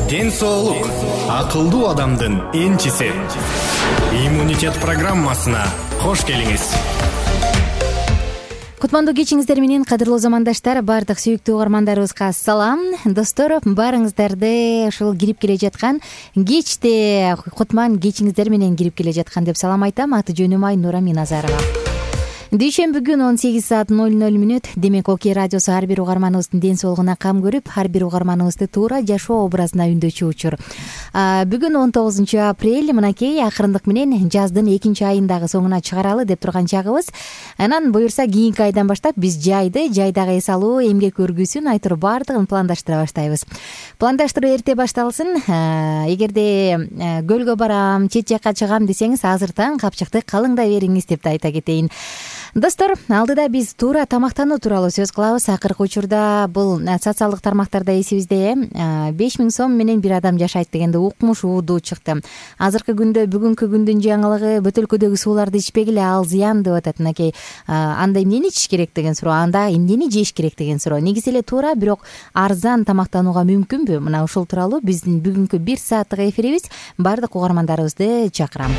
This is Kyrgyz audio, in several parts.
Ден соолук акылдуу адамдын энчиси. Иммунитет программасына кош келиңиз. Кутмандуу кечиңиздер менен, кадырлуу замандаштар, бардык сүйүктүү угармандарыбызга салам. Достор, баарыңыздарды ушул кирип келе жаткан кечте Кутман кечиңиздер менен кирип келе жаткан деп салам айтам. Аты жөнүм Айнура Миназарова. Дүйшөмбү күн 18:00. Демек, Окей радиосу ар бир угарманыбыздын ден соолугуна кам көрүп, ар бир угарманыбызды туура жашоо образына үндөчү учур. Бүгүн 19 апрель, мынакей акырындык менен жаздын 2-айындагы соңуна чыгаралы деп турган чагыбыз. Анан буюрса кийинки айдан баштап биз жайдагы эс алуу, эмгек өргүүсүн айтор баардыгын пландаштыра баштайбыз. Пландаштыруу эрте башталсын. Эгерде көлгө барам, чет жакка чыгам десеңиз, азыртан капчыкты калыңдай бериңиз деп да айта кетейин. Достор, алдыда биз туура тамактануу тууралуу сөз кылабыз. Акыркы учурда бул социалдык тармактарда эсибизде 5000 сом менен бир адам жашайт дегенде укмуш уудуу чыкты. Азыркы күндө, бүгүнкү күндүн жаңылыгы, бөтөлкөдөгү сууларды ичпегиле, ал зыян деп атат. Мынакей, анда эмнени ичиш керек деген суроо, анда эмнени жеш керек деген суроо. Негизи эле туура, бирок арзан тамактанууга мүмкүнбү? Мына ушул тууралуу биздин бүгүнкү 1 сааттык эфирибиз бардык угармандарыбызды чакырам.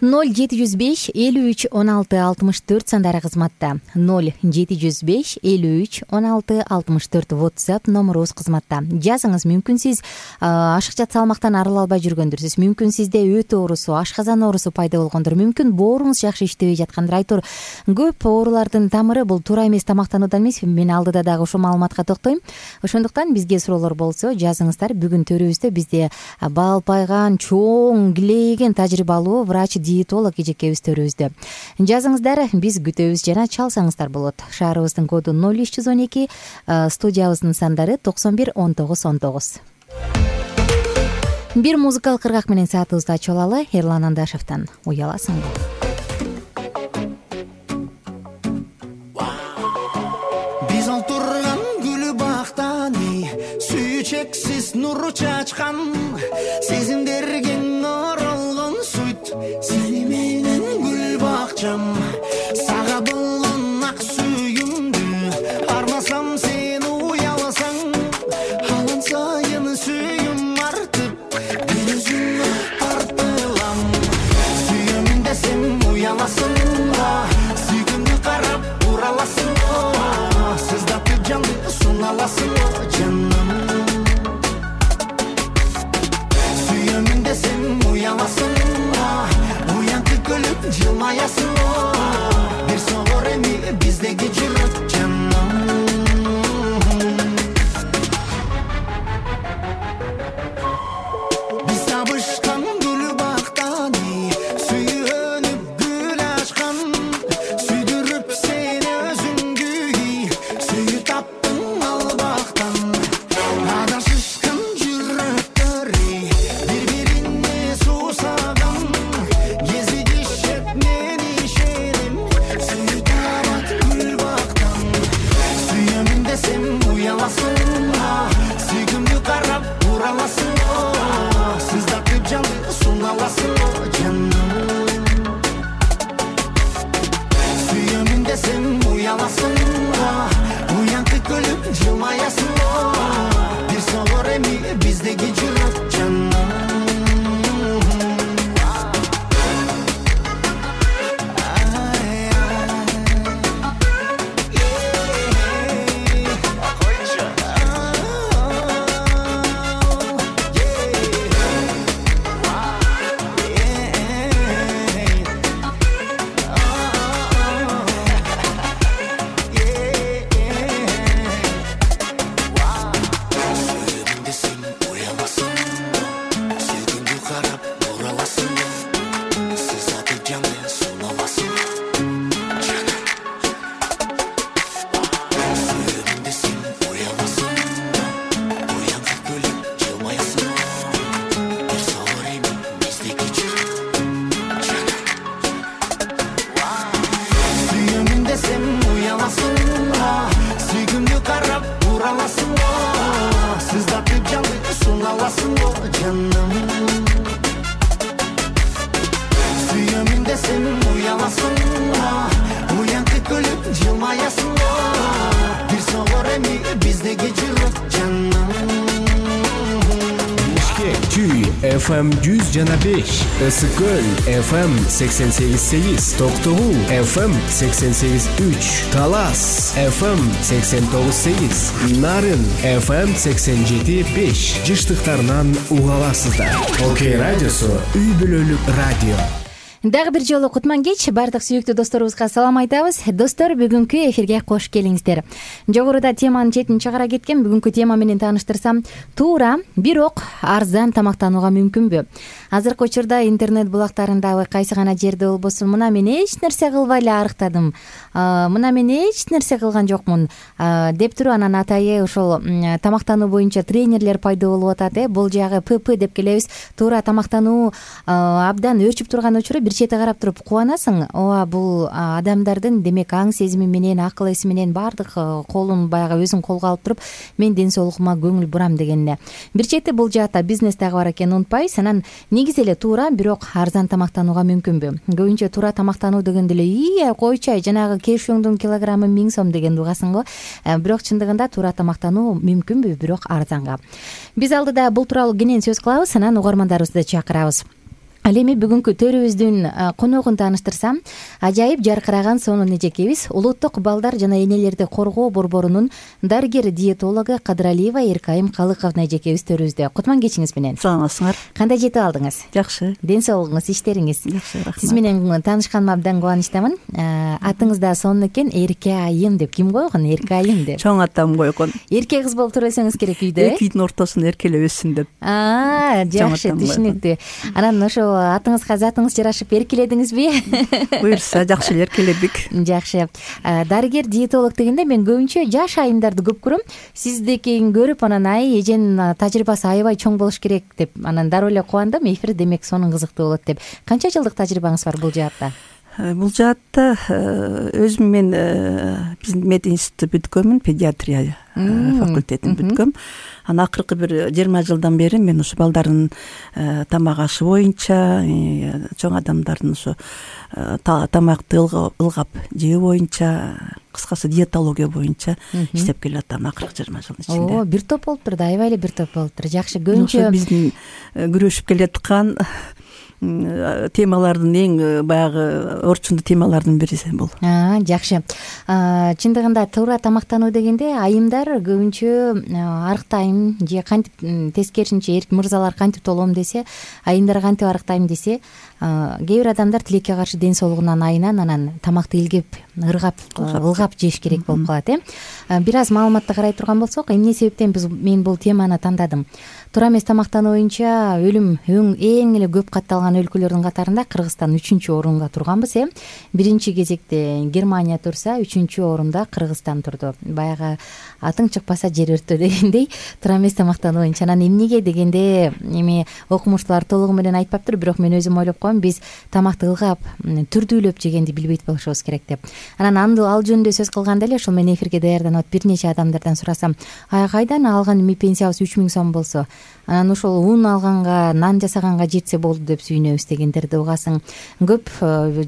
0705 53 16 64 сандары кызматта. 0705 53 16 64 WhatsApp номерубуз кызматта. Жазыңыз, мүмкүн сиз ашыкча салмактан арыла албай жүргөндүрсүз. Мүмкүн сизде өтө оорусу, ашказан оорусу пайда болгондур. Мүмкүн бооруңуз жакшы иштебей жаткандыр. Айтор, көп оорулардын тамыры бул туура эмес тамактануудан эмес. Мен алдыда дагы ушул маалыматка токтойм. Ошондуктан бизге суроолор болсо жазыңыздар. Бүгүн төрүбүздө бизде балпайган, чоң, килейген тажрыйбалуу врач диетолог эжекебиз төрүбүздө. Жазыңыздар, биз күтөбүз жана чалсаңыздар болот. Шаарыбыздын коду 0312, студиябыздын сандары 91 19 19. Бир музыкалык кыргак менен саатыбызды ачып алалы. Эрлан Андашевден Уяласыңбы? Биз олтурган гүл бактан сүйүү чексиз нур чачкан, сезимдерге оролгон суйт, сени менен гүл бакчам. Сага болгон ак сүйүмдү армасам, сен уяласаң, алан сайын сүйүм артып, бир өзүңө тартылам. Сүйөмүн десем уяласың, сүйгүмдү карап ураласың, сыздатып жанды суналасың, жаным. Сүйөмүн десем уяласың, уянтып көлүп жылмаясың, бир согор эми биздеги жүрөк, жаным. Биз табышкан гүл бактан сүйөнүп гүл ачкан, сүйдүрүп сени өзүңгү сүйүп таптың ал бактан. Адашышкан жүрөктөр бири-бирине суусаган, кезигишет мен ишенем, сүйүп табат гүл бактан. Сүйөмүн десем уяласың, сүйгүмдү карап ураласың, сыздатып жанды суналасың, жаным. Сүйөмүн десем уяласың, уянтып көлүп жылмаясың, бир согор эми биздеги жүрөк, жаным. Жылмаясың, бир согор эми биздеги жүрөк, жаным. FM 100,5, Ысык Көл FM 88,8, Токтогул FM 88,3, Талас FM 89,8, Нарын FM 87,5 жыштыктарынан уга аласыздар. Окей радиосу үй бүлөлүк радио. Дагы бир жолу кутман кеч баардык сүйүктүү досторубузга салам айтабыз. Достор, бүгүнкү эфирге кош келиңиздер. Жогоруда теманын четин чыгара кеткен бүгүнкү тема менен тааныштырсам, туура, бирок арзан тамактанууга мүмкүнбү? Азыркы учурда интернет булактарындагы кайсы гана жерде болбосун, мына мен эч нерсе кылбай эле арыктадым, мына мен эч нерсе кылган жокмун деп туруп, анан атайы ошол тамактануу боюнча тренерлер пайда болуп атат. Бул жагы ПП деп келебиз. Туура тамактануу абдан өөрчүп турган учуру бир чети карап туруп кубанасың. Ооба, бул адамдардын демек аң сезими менен, акыл эси менен баардык колун баягы өзүн колго алып туруп, мен ден соолугума көңүл бурам дегенде. Бир чети бул жаатта бизнес дагы бар экенин унутпайбыз. Анан негизи эле туура, бирок арзан тамактанууга мүмкүнбү? Көбүнчө туура тамактануу дегенде эле койчу, жанагы кешүүңдүн килограммы 1000 сом дегенди угасың го. Бирок чындыгында туура тамактануу мүмкүнбү, бирок арзанга. Биз алдыда бул тууралуу кенен сөз кылабыз, анан угармандарыбызды чакырабыз. Ал эми бүгүнкү төрүбүздүн коногун тааныштырсам, ажайып жаркыраган сонун эжекебиз Улуттук балдар жана энелерди коргоо борборунун дарыгер диетологу Кадыралиева Эркайым Калыковна эжекебиз төрүбүздө. Кутман кечиңиз менен. Саламатсыңар? Кандай жетип алдыңыз? Жакшы. Ден соолугуңуз, иштериңиз? Жакшы, рахмат. Сиз менен таанышканыма абдан кубанычтамын. Атыңыз да сонун экен, Эркайым деп. Ким койгон Эркайым деп? Чоң атам койгон. Эрке кыз болуп туруп керек үйдө. Эки үйдүн ортосунда эркелеп өссүн деп. Жакшы, түшүнүктүү. Анан ошо атыңызга затыңыз жарашып эркеледиңизби? Буюрса, жакшы эле эркеледик. Жакшы. Дарыгер диетолог дегенде мен көбүнчө жаш айымдарды көп көрөм. Сиздикин көрүп, анан эженин тажрыйбасы аябай чоң болуш керек деп, анан дароо эле кубандым. Эфир демек сонун кызыктуу болот деп. Канча жылдык тажрыйбаңыз бар бул жаатта? Бул жаатта өзүм мен биздин мединститутты бүткөнмүн, педиатрия факультетин бүткөм. Анан акыркы бир 20 жылдан бери мен ушу балдардын тамак ашы боюнча, чоң адамдардын ушу тамакты ылгап жөө боюнча, кыскасы диетология боюнча иштеп келатам акыркы 20 жылдын ичинде. Бир топ болуптур да, аябай эле бир топ болуптур. Жакшы, көбүнчө биздин күрөшүп келаткан темалардын эң баягы орчундуу темалардын бири бул. Жакшы. Чындыгында туура тамактануу дегенде айымдар көбүнчө арыктайм же кантип, тескерисинче мырзалар кантип толом десе, айымдар кантип арыктайм десе, кээ бир адамдар тилекке каршы ден соолугунан айынан анан тамакты илгеп, ылгап жеш керек болуп калат. Бир аз маалыматты карай турган болсок, эмне себептен мен бул теманы тандадым? Туура эмес тамактануу боюнча өлүм эң эле көп катталган өлкөлөрдүн катарында Кыргызстан 3-орунда турганбыз. Биринчи кезекте Германия турса, 3-орунда Кыргызстан турду. Баягы атың чыкпаса жер өрттө дегендей, туура эмес тамактануу боюнча. Анан эмнеге дегенде, эми окумуштуулар толугу менен айтпаптыр, бирок мен өзүм ойлоп коем, биз тамакты ылгап, түрдүүлөп жегенди билбейт болушубуз керек деп. Анан ал жөнүндө сөз кылганда эле ошол мен эфирге даярданып бир нече адамдардан сурасам, кайдан алган эми пенсиябыз 3000 сом болсо, анан ошол ун алганга, нан жасаганга жетсе болду деп сүйүнөбүз дегендерди угасың. Көп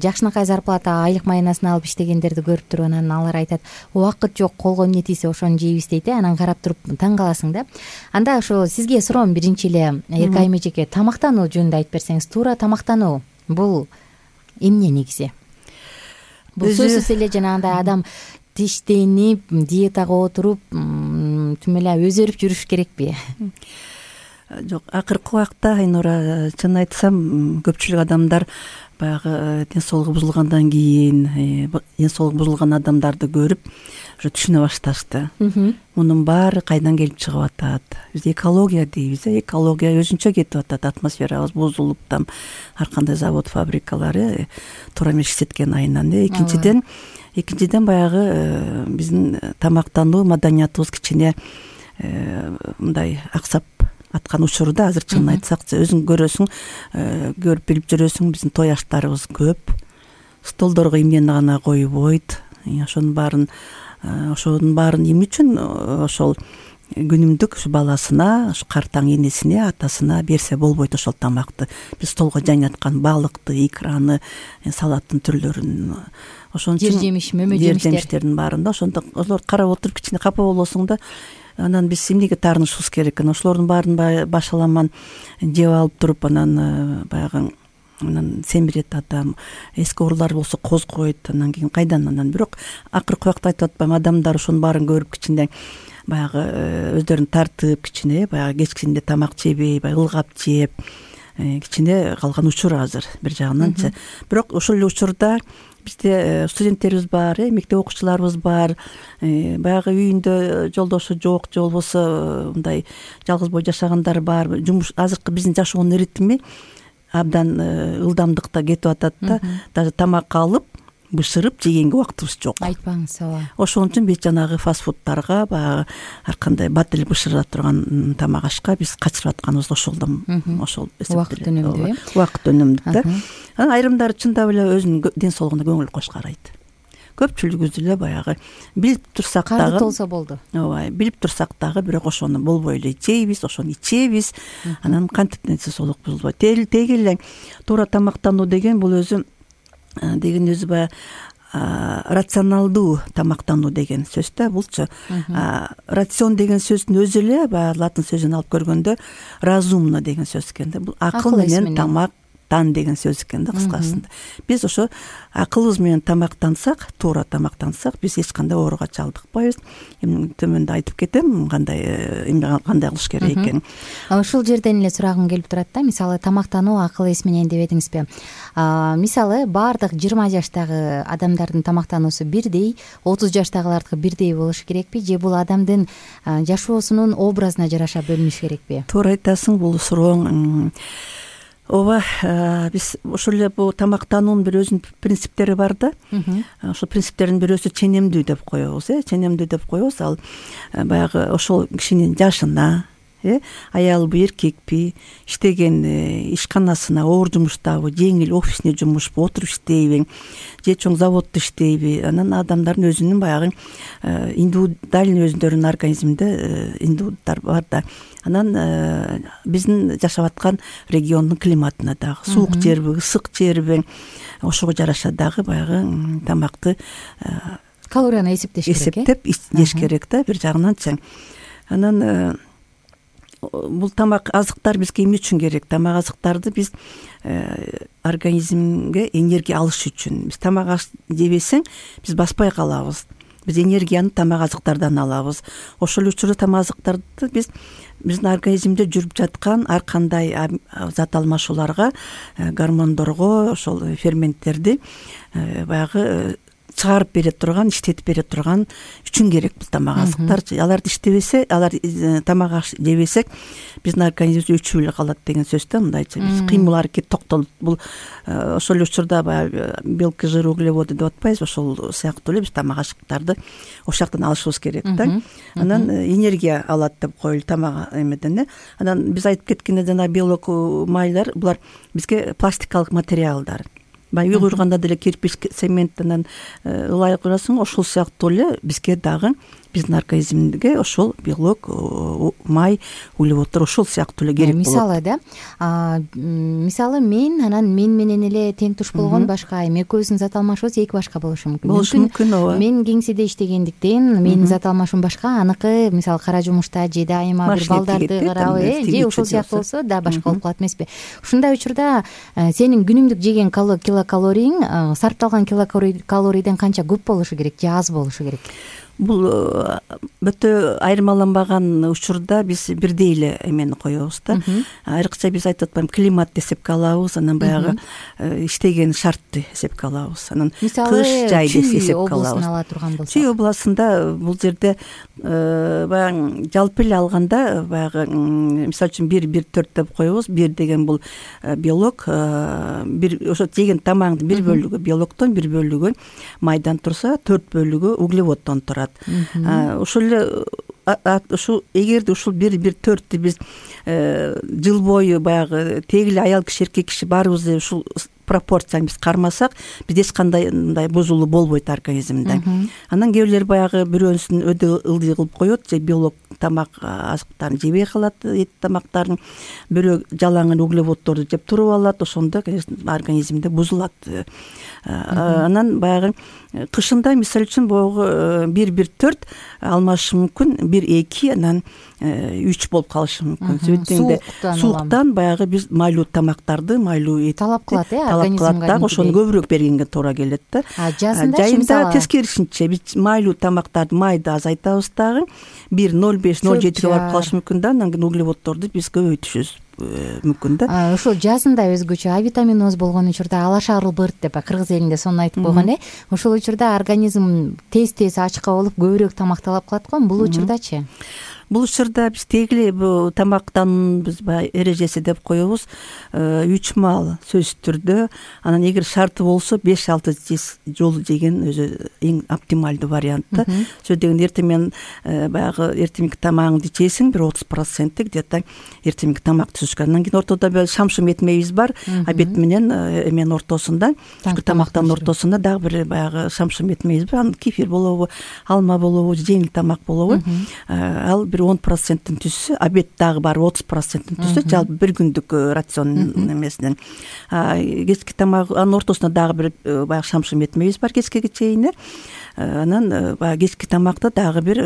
жакшынакай зарплата, айлык майнасын алып иштегендерди көрүп туруп, анан алар айтат, убакыт жок, колго эмне тийсе ошону жейбиз дейт. Анан карап туруп таң каласың да. Анда ошо сизге суроом биринчи эле, Эркайым эжеке, тамактануу жөнүндө айтып берсеңиз. Туура тамактануу бул эмне негизи? Бул сөзсүз эле жанагындай адам тиштенип, диетага отуруп, түм эле өзөрүп жүрүш керекпи? Жок, акыркы убакта Айнура, чын айтсам, көпчүлүк адамдар баягы ден соолугу бузулгандан кийин, ден соолугу бузулган адамдарды көрүп, уже түшүнө башташты. Мунун баары кайдан келип чыгып атат? Биз экология дейбиз. Экология өзүнчө кетип атат, атмосферабыз бузулуп, там ар кандай завод, фабрикалары туура эмес иштеткен айынан. Экинчиден баягы биздин тамактануу маданиятыбыз кичине мындай аксап аткан учурда, азыр чынын айтсак, өзүң көрөсүң, көрүп билип жүрөсүң, биздин той аштарыбыз көп, столдорго эмнени гана койбойт. Ошонун баарын эмне үчүн ошол күнүмдүк ушу баласына, ушу картаң энесине, атасына берсе болбойт ошол тамакты. Биз столго жайнаткан балыкты, икраны, салаттын түрлөрүн, ошон үчүн жемиш, мөмө жемиштердин баарында ошондо карап отуруп кичине капа болосуң да, анан биз эмнеге таарынышыбыз керек экен? Ошолордун баарын башаламан жеп алып туруп анан баягы анан семирет адам, эски оорулар болсо козгойт, анан кийин кайдан анан. Бирок акыркы убакта айтып атпаймынбы, адамдар ошонун баарын көрүп кичине баягы өздөрүн тартып, кичине баягы кечкисинде тамак жебей, баягы ылгап жеп кичине калган учур азыр бир жагынанчы. Бирок ошол эле учурда бизде студенттерибиз бар, мектеп окуучуларыбыз бар, баягы үйүндө жолдошу жок же болбосо мындай жалгыз бой жашагандар бар. Жумуш азыркы биздин жашоонун ритми абдан ылдамдыкта кетип атат да, даже тамак алып бышырып жегенге убактыбыз жок. Айтпаңыз, ооба. Ошон үчүн биз жанагы фастфудтарга, баягы ар кандай бат эле бышыра турган тамак ашка биз качырып атканыбыз ошолдон, ошол убакыт өнүмдүү, убакыт өнүмдүү да. Анан айрымдары чындап эле өзүнүн ден соолугуна көңүл коюш карайт. Көпчүлүгүбүз эле баягы билип турсак дагы, карды толсо болду. Ооба, билип турсак дагы бирок ошону болбой эле жейбиз, ошону ичебиз. Анан кантип ден соолук бузулбайт. Теги эле туура тамактануу деген бул өзү баягы рационалдуу тамактануу деген сөз да. Булчу рацион деген сөздүн өзү эле баягы латын сөзүн алып көргөндө разумно деген сөз экен да. Бул акыл менен тамак деген сөз экен да кыскасында. Биз ошо акылыбыз менен тамактансак, туура тамактансак, биз эч кандай ооруга чалдыкпайбыз. Төмөндө айтып кетем кандай кылыш керек экенин. Ушул жерден эле сурагым келип турат да. Мисалы тамактануу акыл эс менен деп едиңизби? Мисалы баардык 20 жаштагы адамдардын тамактануусу бирдей, 30 жаштагылардыкы бирдей болушу керекпи же бул адамдын жашоосунун образына жараша бөлүнүш керекпи? Туура айтасың, бул сурооң. Ооба, биз ошол эле бул тамактануунун бир өзүнүн принциптери бар да. Ошол принциптердин бирөөсү ченемдүү деп коебуз, ченемдүү деп коебуз. Ал баягы ошол кишинин жашына, аялбы, эркекпи, иштеген ишканасына, оор жумуштабы, жеңил офисне жумушпу, отуруп иштейби, же чоң заводдо иштейби. Анан адамдардын өзүнүн баягы индивидуальный өздөрүнүн организминде индивиддар бар да. Анан биздин жашап аткан региондун климатына дагы суук жерби, ысык жерби, ошого жараша дагы баягы тамакты калорияны эсептеп жеш керек да бир жагынанчы. Анан бул тамак азыктар бизге эмне үчүн керек? Тамак азыктарды биз организмге энергия алыш үчүн. Биз тамак жебесең, биз баспай калабыз. Биз энергияны тамак азыктардан алабыз. Ошол учурда тамак азыктарды биздин организмде жүрүп жаткан ар кандай зат алмашууларга, гормондорго, ошол ферменттерди баягы чыгарып бере турган, иштетип бере турган үчүн керек бул тамак азыктар. Аларды иштебесе, алар тамак жебесек, биздин организмибиз өчүп эле калат деген сөз да. Мындайча биз кыймыл аракет токтолот. Бул ошол учурда баягы белки, жыр, углеводы деп атпайбыз, ошол сыяктуу эле биз тамак азыктарды ошол жактан алышыбыз керек да. Анан энергия алат деп коелу тамак эмеден. Анан биз айтып кеткенде жана белок, майлар, булар бизге пластикалык материалдар. Үй курганда деле кирпич, цемент анан ылай курасың, ошол сыяктуу эле бизге дагы биздин организмге ошол белок, май, углеводдор ошол сыяктуу эле керек болот. Мисалы да, мисалы мен менен эле тең туш болгон башка экөөбүздүн зат алмашыбыз эки башка болушу мүмкүн. Болушу мүмкүн, ооба. Мен кеңседе иштегендиктен менин зат алмашым башка, аныкы мисалы кара жумушта же дайыма бир балдарды карап, же ошол сыяктуу болсо да башка болуп калат эмеспи? Ушундай учурда сенин күнүмдүк жеген килокалорийң сарпталган килокалорийден канча көп болушу керек же аз болушу керек? Бул өтө айырмаланбаган учурда биз бирдей эле эмени коебуз да. Айрыкча биз айтып атпаймынбы, климатты эсепке алабыз, анан баягы иштеген шартты эсепке алабыз. Анан кыш, жайды эсепке алабыз. Ала турган болсо. Чүй областында бул жерде баягы жалпы эле алганда баягы мисалы үчүн 1-1-4 деп коебуз. 1 деген бул белок, бир ошо жеген тамагыңдын 1 бөлүгү белоктон, 1 бөлүгү майдан турса, 4 бөлүгү углеводдон турат. Ошол эле ушул эгерде ушул 1-1-4тү биз жыл бою баягы теги эле аял киши, эркек киши баарыбыз ушул пропорцияны биз кармасак бизде эч кандай мындай бузулуу болбойт организмде. Анан кээ бирлер баягы бирөөсүн өтө ылдый кылып коет, же белок тамак азыктарын жебей калат, эт тамактарын, бирөө жалаң эле углеводдорду жеп туруп алат, ошондо организмде бузулат. Анан баягы кышында мисалы үчүн боюгу 1-1-4 алмашы мүмкүн, 1-2 анан 3 болуп калышы мүмкүн. Себептен сууктан баягы биз майлуу тамактарды, майлуу эт талап кылат, организмге. Ошону көбүрөөк бергенге туура келет да. Жазында тескерисинче биз майлуу тамактарды майды азайтабыз дагы 1,05-0,7 барып калышы мүмкүн да. Анан кийин углеводдорду биз көбөйтүшүбүз мүмкүн да. Ошол жазында өзгөчө А витаминоз болгон учурда алаша арылбырт деп кыргыз элинде сонун айтып койгон. Ошол учурда организм тез ачка болуп көбүрөөк тамак талап кылат го. Бул учурдачы? Бул учурда биз тегиле бул тамактануубуз эрежеси деп коебуз. 3 маал сөзсүз түрдө, анан эгер шарты болсо 5-6 жолу жеген өзү эң оптималдуу вариант да. Сөз деген эртең менен баягы эртеңки тамагыңды жесең бир 30% где-то эртеңки тамак түзүш керек. Анан кийин ортодо бир шамшым этмебиз бар. Обед менен эмен ортосунда, тамактын ортосунда дагы бир баягы шамшым этмебиз бар. Анан кефир болобу, алма болобу, жеңил тамак болобу. Ал бир 10%-ын түзсө, обед дагы бар 30%-ын түзсө, жалпы бир күндүк рацион эмесинен. Кечки тамак, анын ортосунда дагы бир баягы шамшым этмебиз бар кечкеге чейин. Анан баягы кечки тамакты дагы бир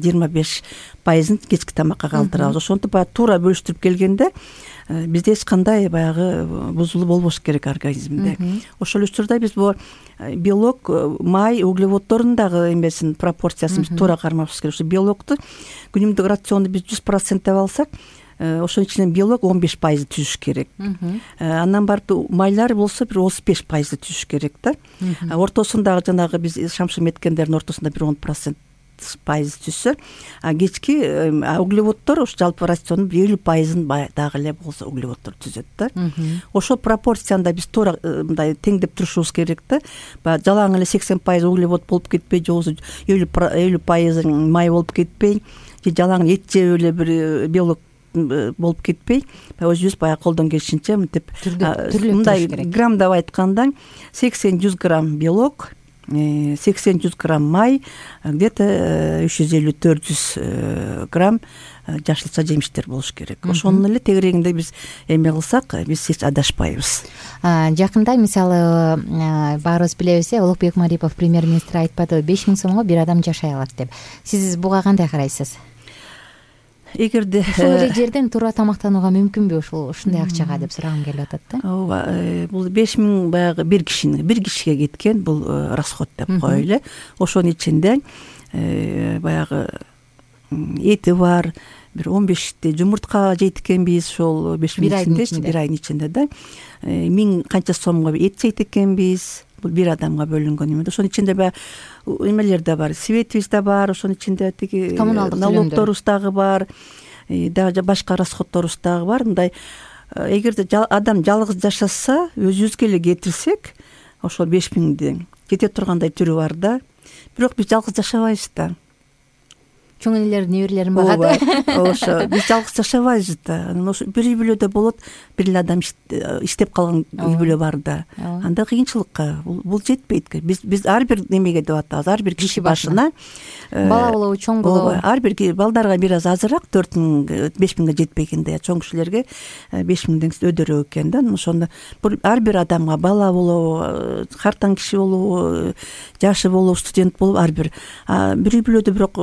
25%-ын кечки тамакка калтырабыз. Ошонтип баягы туура бөлүштүрүп келгенде бизде эч кандай баягы бузулуу болбош керек организмде. Ошол учурда биз бул белок, май, углеводдордун дагы эмесин пропорциясын биз туура кармашыбыз керек. Ошо белокту күнүмдүк рационду биз 100% деп алсак, ошонун ичинен белок 15% түзүш керек. Андан барып майлар болсо бир 35% түзүш керек да. Ортосундагы жанагы биз шамшым эткендердин ортосунда бир 10% түзсө, кечки углеводдор ошо жалпы рациондун 50%-ын дагы эле болсо углеводдор түзөт да. Ошол пропорцияны биз туура мындай теңдеп турушубуз керек да. Баягы жалаң эле 80% углевод болуп кетпей, же болбосо 50% май болуп кетпей, же жалаң эт жеп эле бир белок болуп кетпей, өзүбүз баягы колдон келишинче мынтип мындай граммдап айтканда 80-100 грамм белок, 80-100 грамм май, где-то 350-400 грамм жашылча жемиштер болуш керек. Ошонун эле тегерегинде биз эме кылсак, биз эч адашпайбыз. Жакында мисалы баарыбыз билебиз, Улукбек Марипов премьер-министр айтпадыбы 5000 сомго бир адам жашай алат деп. Сиз буга кандай карайсыз? Эгерде ошол эле жерден туура тамактанууга мүмкүнбү ушундай акчага деп сурагым келип атат да. Ооба, бул 5000 баягы бир кишиге кеткен бул расход деп коелу. Ошонун ичинде баягы эти бар, бир 15 жумуртка жейт экенбиз, ошол 5000 ичинде, бир айдын ичинде да. 1000 канча сомго эт жейт экенбиз. Бул бир адамга бөлүнгөн эме. Ошонун ичинде баягы эмелер да бар, светибиз да бар, ошонун ичинде тиги налогторубуз дагы бар, дагы башка расходторубуз дагы бар. Мындай эгерде адам жалгыз жашаса, өзүбүзгө эле кетирсек, ошол 5000ди кете тургандай түрү бар да. Бирок биз жалгыз жашабайбыз да. Чоң энелер, неберелерин багат. Ошо биз жалгыз жашабайбыз да. Анан ошо бир үй бүлөдө болот, бир эле адам иштеп калган үй бүлө бар да. Анда кыйынчылыкка бул жетпейт. Биз ар бир немеге деп атабыз, ар бир киши башына бала болобу, чоң болобу, ар бир балдарга бир аз азыраак 4000, 5000ге жетпегенде, чоң кишилерге 5000ден өдөрөөк экен да. Ошондо ар бир адамга, бала болобу, картаң киши болобу, жашы болобу, студент болобу, ар бир үй бүлөдө бирок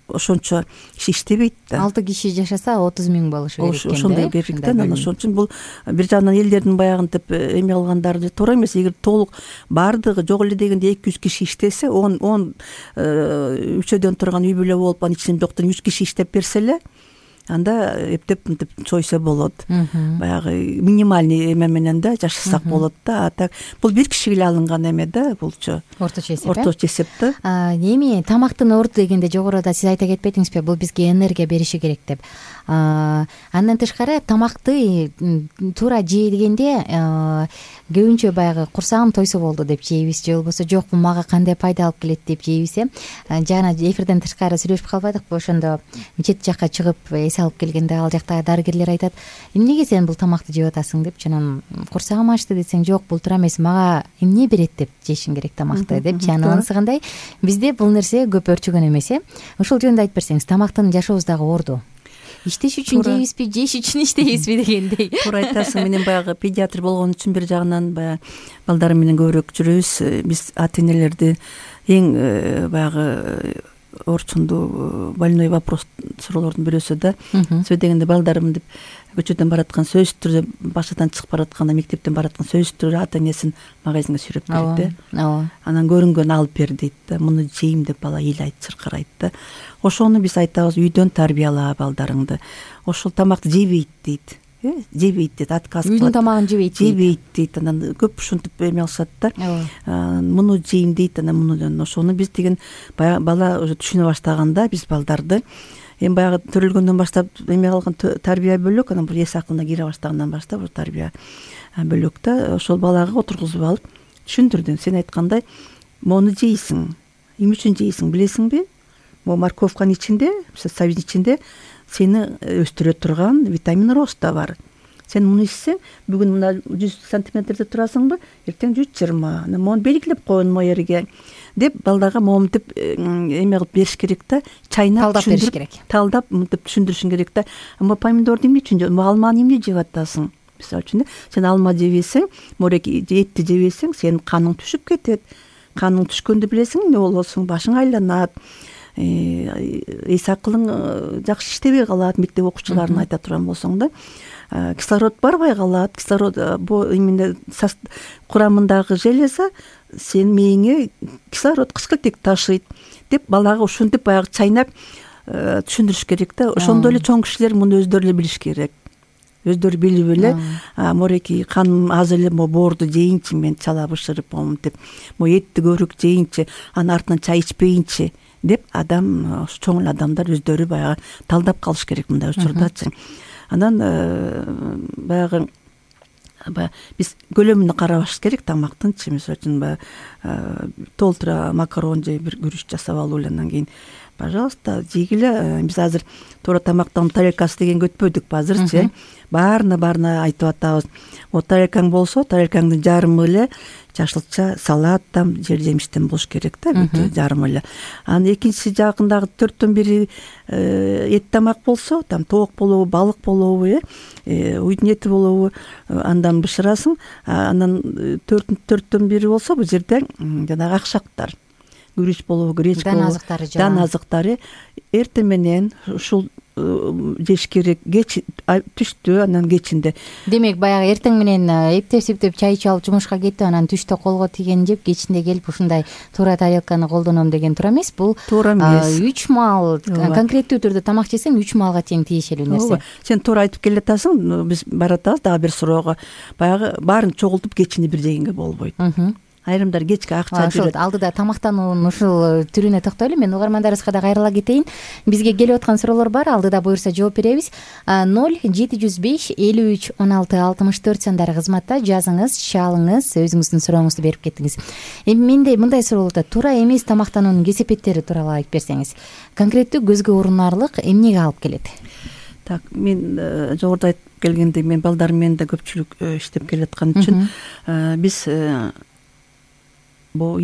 ошончо киши иштебейт да. 6 киши жашаса 30 000 болушу керек экен. Ошондой керек да. Ошон үчүн бул бир жагынан элдердин баягынтип эме кылгандары туура эмес. Эгер толук бардыгы жок эле дегенде 200 киши иштесе, 10 үчөөдөн турган үй бүлө болуп, анын ичинен жоктон 3 киши иштеп берсе эле, анда эптеп мынтип чойсо болот. Баягы минимальный эме менен да жашасак болот да. А так бул бир кишиге эле алынган эме да, булчу. Орточо эсеп. Орточо эсеп да. Эми тамактын орду дегенде жогоруда сиз айта кетпедиңизби, бул бизге энергия бериши керек деп. Андан тышкары тамакты туура жегенде көбүнчө баягы курсагым тойсо болду деп жейбиз, же болбосо жок бул мага кандай пайда алып келет деп жейбиз. Жана эфирден тышкары сүйлөшүп калбадыкпы, ошондо чет жакка чыгып эс алып келгенде ал жактагы дарыгерлер айтат, эмнеге сен бул тамакты жеп атасың депчи, анан курсагым ачты десең, жок бул туура эмес, мага эмне берет деп жешиң керек тамакты депчи. Анан ансыгандай бизде бул нерсе көп өрчөгөн эмес. Ошол жөнүндө айтып берсеңиз, тамактын жашообуздагы орду иштеш үчүн жейбизби, жеш үчүн иштейбизби дегендей. Туура айтасың. Менен баягы педиатр болгон үчүн бир жагынан баягы балдарым менен көбүрөөк жүрөбүз. Биз ата энелерди эң баягы орчундуу больной вопрос суроолордун бирөөсү да. Сөз дегенде балдарым деп көчөдөн бараткан, сөзсүз түрдө башадан чыгып баратканда, мектептен бараткан сөзсүз түрдө ата энесин магазинге сүйрөп келет да. Анан көрүнгөн алып бер дейт да. Муну жейм деп бала ыйлайт, чыркырайт да. Ошону биз айтабыз, үйдөн тарбияла балдарыңды. Ошол тамакты жебейт дейт. Жебейт дейт, отказ кылат. Үйдүн тамагын жебейт дейт. Анан көп ушинтип эме алышат да. Муну жейм дейт, анан муну. Ошону биз деген бала уже түшүнө баштаганда биз балдарды эми баягы төрөлгөндөн баштап эме калган тарбия бөлөк, анан бул эс акылына кире баштагандан баштап тарбия бөлөк да. Ошол балага отургузуп алып түшүндүрдүм. Сен айткандай, мону жейсиң, эмне үчүн жейсиң билесиңби? Могу морковканын ичинде, сабиздин ичинде сени өстүрө турган витамин роста бар. Сен муну ичсең, бүгүн мына 100 сантиметрде турасыңбы, эртең 120. Анан мону белгилеп койгон моерге деп балдарга моментип эме кылып бериш керек да. Чайнап талдап бериш керек. Талдап мынтип түшүндүрүшүң керек да. Ама помидорду эмне үчүн жеп, алманы эмне жеп атасың? Мисалы үчүн, сен алма жебесең, мореки этти жебесең, сенин каның түшүп кетет. Каның түшкөндө билесиң эмне болосуң? Башың айланат. Эс акылың жакшы иштебей калат. Мектеп окуучуларына айта турган болсоң да, кислород барбай калат. Кислород бул эмне курамындагы железа сен мээңе кислород кычкылтек ташыйт деп балага ушинтип баягы чайнап түшүндүрүш керек да. Ошондой эле чоң кишилер муну өздөрү эле билиш керек. Өздөрү билип эле, мореки каным аз эле боорду жейинчи, мен чала бышырып моментип, этти көбүрөөк жейинчи, анын артынан чай ичпейинчи деп адам, чоң эле адамдар өздөрү баягы талдап калыш керек мындай учурдачы. Анан баягы биз көлөмүнө карабаш керек тамактынчы. Мисалы үчүн баягы толтура макарон же бир күрүч жасап алып андан кийин пожалуйста жегиле. Биз азыр туура тамактын тарелкасы дегенге өтпөдүк азырчы. Баарына айтып атабыз. Тарелкаң болсо, тарелкаңдын жарымы эле жашылча, салат, там жер жемиштен болуш керек да, жарымы эле. Анан экинчи жагындагы 4төн 1 эт тамак болсо, там тоок болобу, балык болобу, уйдун эти болобу, андан бышырасың. Анан 4төн 1 болсо бул жерде жанагы акшактар, күрүч болобу, гречка болобу, дан азыктары эртең менен ушул жеш керек. Кеч түштө, анан кечинде. Демек баягы эртең менен эптеп чай ичип алып жумушка кетип, анан түштө колго тийген жеп, кечинде келип ушундай туура тарелканы колдоном деген туура эмес. Бул туура эмес. 3 маал конкреттүү түрдө тамак жесең 3 маалга тең тиешелүү нерсе. Сен туура айтып келатасың. Биз баратабыз дагы бир суроого. Баягы баарын чогултуп кечинде бир жегенге болбойт. Айрымдар кечке акча жүрөт. Алдыда тамактануунун ушул түрүнө токтойлу. Мен угармандарыбызга да кайрыла кетейин. Бизге келип аткан суроолор бар. Алдыда буюрса жооп беребиз. 0705 53 16 64 сандары кызматта жазыңыз, чалыңыз, өзүңүздүн сурооңузду берип кетиңиз. Эми менде мындай суроолорда туура эмес тамактануунун кесепеттери тууралуу айтып берсеңиз. Конкреттүү көзгө урунарлык эмнеге алып келет? Так, мен жогоруда айтып келгендей, мен балдарым менен да көпчүлүк иштеп келаткан үчүн биз бул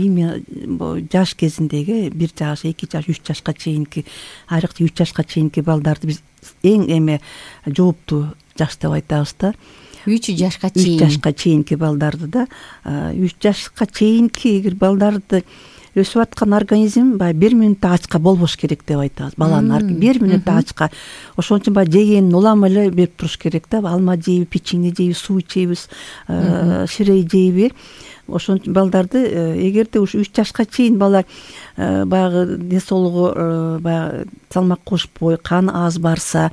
жаш кезиндеги 1 жаш, 2 жаш, 3 жашка чейинки, айрыкча 3 жашка чейинки балдарды биз эң эме жооптуу жаш деп айтабыз да. 3 жашка чейин. 3 жашка чейинки балдарды да. 3 жашка чейинки эгер балдарды өсүп аткан организм баягы 1 мүнөттө ачка болбош керек деп айтабыз. Баланын 1 мүнөттө ачка. Ошон үчүн баягы жегенин улам эле берип туруш керек да. Алма жейби, печенье жейби, суу ичебиз, ширей жейби. Ошон үчүн балдарды эгерде ушу 3 жашка чейин бала баягы денсоолугу баягы салмак кошпой, кан аз барса,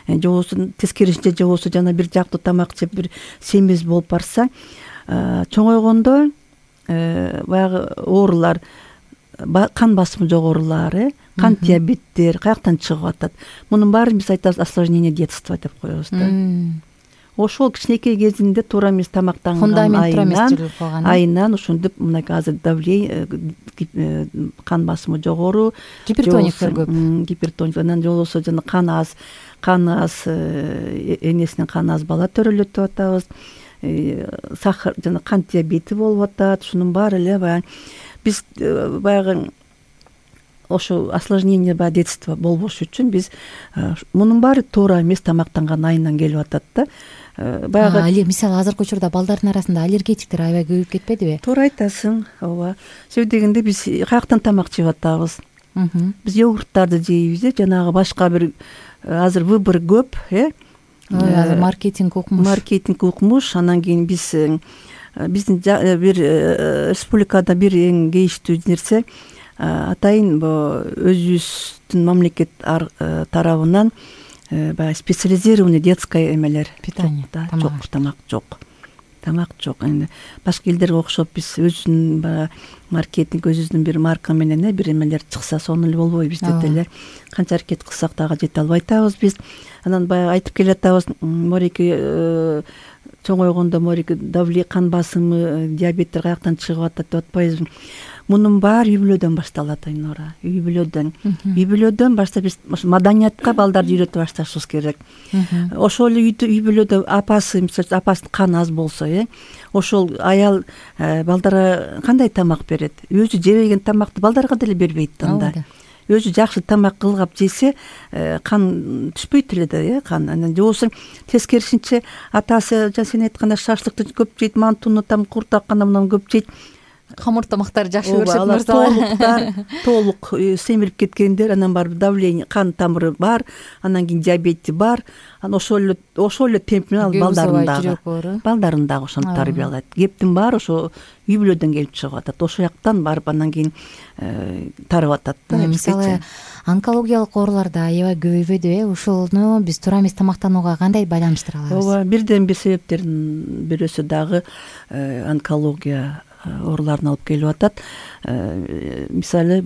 же болбосо тескерисинче, же болбосо жана бир жактуу тамак жеп бир семиз болуп барса, чоңойгондо баягы оорулар, кан басымы жогорулар, кан диабеттер каяктан чыгып атат. Мунун баарын биз айтабыз осложнение детства деп коебуз да. Ошол кичинекей кезинде туура эмес тамактанган айынан ушинтип мына азыр давление, кан басымы жогору, гипертониктер көп. Гипертоник, анан же болбосо жана кан аз каны аз, энесинин каны аз бала төрөлөтүп атабыз, сахар жана кант диабети болуп атат. Ушунун баары эле баягы биз баягы ошо осложнение детства болбош үчүн биз мунун баары туура эмес тамактанган айынан келип атат да. Баягы мисалы азыркы учурда балдардын арасында аллергетиктер аябай көбөйүп кетпедиби? Туура айтасың, ооба. Себеби дегенде биз каяктан тамак жеп атабыз? Биз йогурттарды жейбиз, жанагы башка бир азыр выбор көп, азыр маркетинг укмуш. Анан кийин биздин бир республикада бир эң кейиштүү нерсе, атайын өзүбүздүн мамлекет тарабынан баягы специализированный детское эмелер питание, тамак жок. Эми башка элдерге окшоп биз өзүнүн баягы маркетинг, өзүбүздүн бир марка менен бир эмелер чыкса сонун эле болбойбу? Бизде деле канча аракет кылсак дагы жете албай атабыз биз. Анан баягы айтып келатабыз, морики чоңойгондо морики кан басымы, диабеттер каяктан чыгып атат деп атпайбызбы? Мунун баары үй бүлөдөн башталат, Айнура. Үй бүлөдөн баштап биз маданиятка балдарды үйрөтүп башташыбыз керек. Ошол эле үй бүлөдө апасы каны аз болсо, ошол аял балдарга кандай тамак берет? Өзү жебеген тамакты балдарга деле бербейт анда. Өзү жакшы тамак кылгап жесе, кан түшпөйт эле да, кан. Анан жобосо тескерисинче атасы сен айткандай шашлыкты көп жейт, мантуну куртак кана мынан көп жейт. Камыр тамактар жакшы көрүшөт мырзалар. Толук семирип кеткендер, анан барып давление, кан тамыры бар, анан кийин диабети бар. Анан ошол эле темп менен балдарын дагы ошентип тарбиялайт. Кептин баары ошо үй бүлөдөн келип чыгып атат. Ошол жактан барып анан кийин тарып атат да. Мисалы онкологиялык ооруларда аябай көбөйбөдүбү? Ушуну биз туура эмес тамактанууга кандай байланыштыра алабыз? Ооба, бирден бир себептердин бирөөсү дагы онкология ооруларын алып келип атат. Мисалы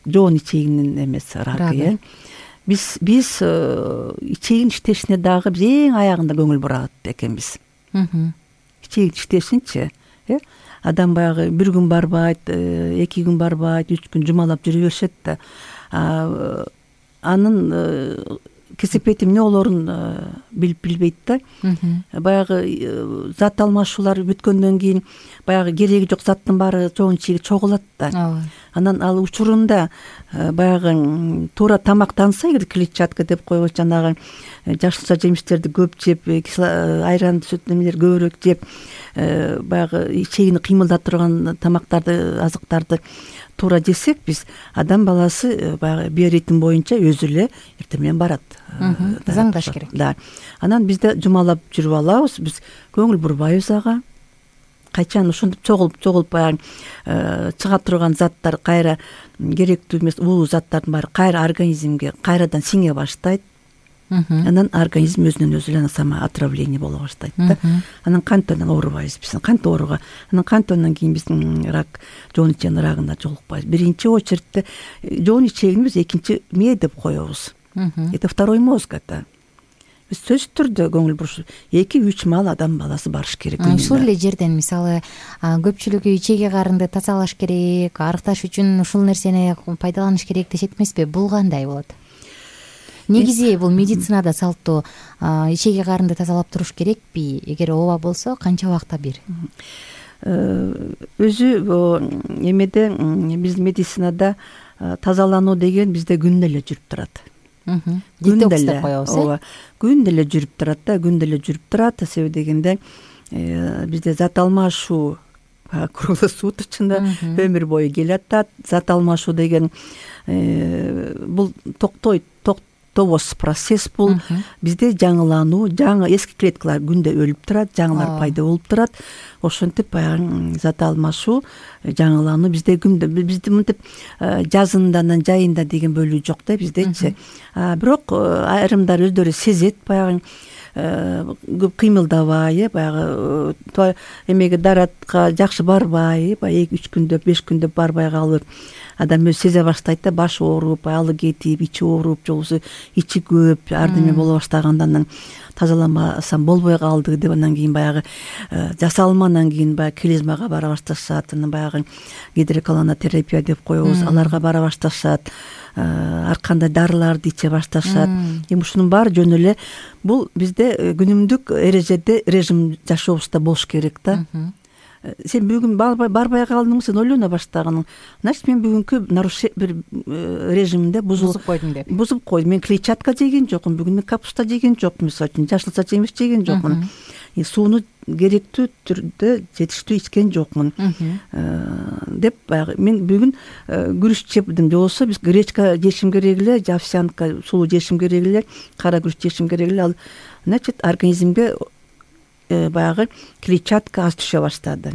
жоон ичегинин эмеси ракы. Биз ичегин иштешине дагы биз эң аягында көңүл бурат экенбиз. Ичегин иштешинчи, адам баягы бир күн барбайт, 2 күн барбайт, 3 күн жумалап жүрө беришет да. Анын кесепети эмне болорун билбейт да. Баягы зат алмашуулар бүткөндөн кийин баягы кереги жок заттын баары жоон ичеги чогулат да. Анан ал учурунда баягы туура тамактанса, эгер клетчатка деп коебуз, жанагы жашылча жемиштерди көп жеп, айран, сүт эмелер көбүрөөк жеп, баягы ичегини кыймылдата турган тамактарды, азыктарды туура жесек, биз адам баласы баягы биоритм боюнча өзү эле эртең менен барат. Заңдаш керек. Да. Анан бизде жумалап жүрүп алабыз, биз көңүл бурбайбыз ага. Качан ушинтип чогулуп баягы чыга турган заттар кайра керектүү эмес улуу заттардын баары кайра организмге кайрадан сиңе баштайт. Анан организм өзүнөн өзү эле сама отравление боло баштайт да. Анан кантип оорубайбыз биз? Кантип ооруга? Анан кантип кийин биз рак, жоон ичегинин рагына жолукпайбыз? Биринчи очередте жоон ичегин биз экинчи мээ деп коебуз. Это второй мозг это. Биз сөзсүз түрдө көңүл буруш 2-3 маал адам баласы барыш керек. Ушул эле жерден мисалы көпчүлүгү ичеги карынды тазалаш керек, арыкташ үчүн ушул нерсени пайдаланыш керек дешет эмеспи? Бул кандай болот? Негизи бул медицинада салтуу ичеги карынды тазалап туруш керекпи? Эгер ооба болсо, канча убакта бир? Өзү эмеде биз медицинада тазалануу деген бизде күндө эле жүрүп турат. Детокс деп коебуз, ооба. Күндө эле жүрүп турат да, күндө эле жүрүп турат. Себеби дегенде бизде зат алмашуу круглосуточно өмүр бою келатат. Зат алмашуу деген бул тобос процесс бул. Бизде жаңылануу, жаңы эски клеткалар күндө өлүп турат, жаңылар пайда болуп турат. Ошентип баягы зат алмашуу, жаңылануу бизде күндө, бизде мынтип жазынданан жайында деген бөлүү жок да биздечи. Бирок айрымдар өздөрү сезет, баягы көп кыймылдабай, баягы эмеге даратка жакшы барбай, баягы 2-3 күндөп, 5 күндөп барбай калып, адам өзү сезе баштайт да, башы ооруп, алы кетип, ичи ооруп, жолусу ичи көп ардеме боло баштаганда анан тазаламасам болбой калды деп анан кийин баягы жасалмандан кийин баягы клизмага бара башташат, анан баягы гидроколонотерапия деп коебуз, аларга бара башташат, ар кандай дарыларды иче башташат. Эми ушунун баары жөн эле бул бизде күнүмдүк эрежеде режим жашообузда болуш керек да. Сен бүгүн барбай калдыңбы, сен ойлоно баштаган. Значит, мен бүгүнкү бир режимде бузуп койдум деп. Бузуп койдум. Мен клетчатка жеген жокмун, бүгүн мен капуста жеген жокмун, мисалы үчүн жашылча жемиш жеген жокмун. Сууну керектүү түрдө жетиштүү ичкен жокмун деп баягы мен бүгүн күрүч жепдим же болбосо биз гречка жешим керек эле, овсянка сулуу жешим керек эле, кара күрүч жешим керек эле. Ал значит организмге баягы клетчатка аз түшө баштады.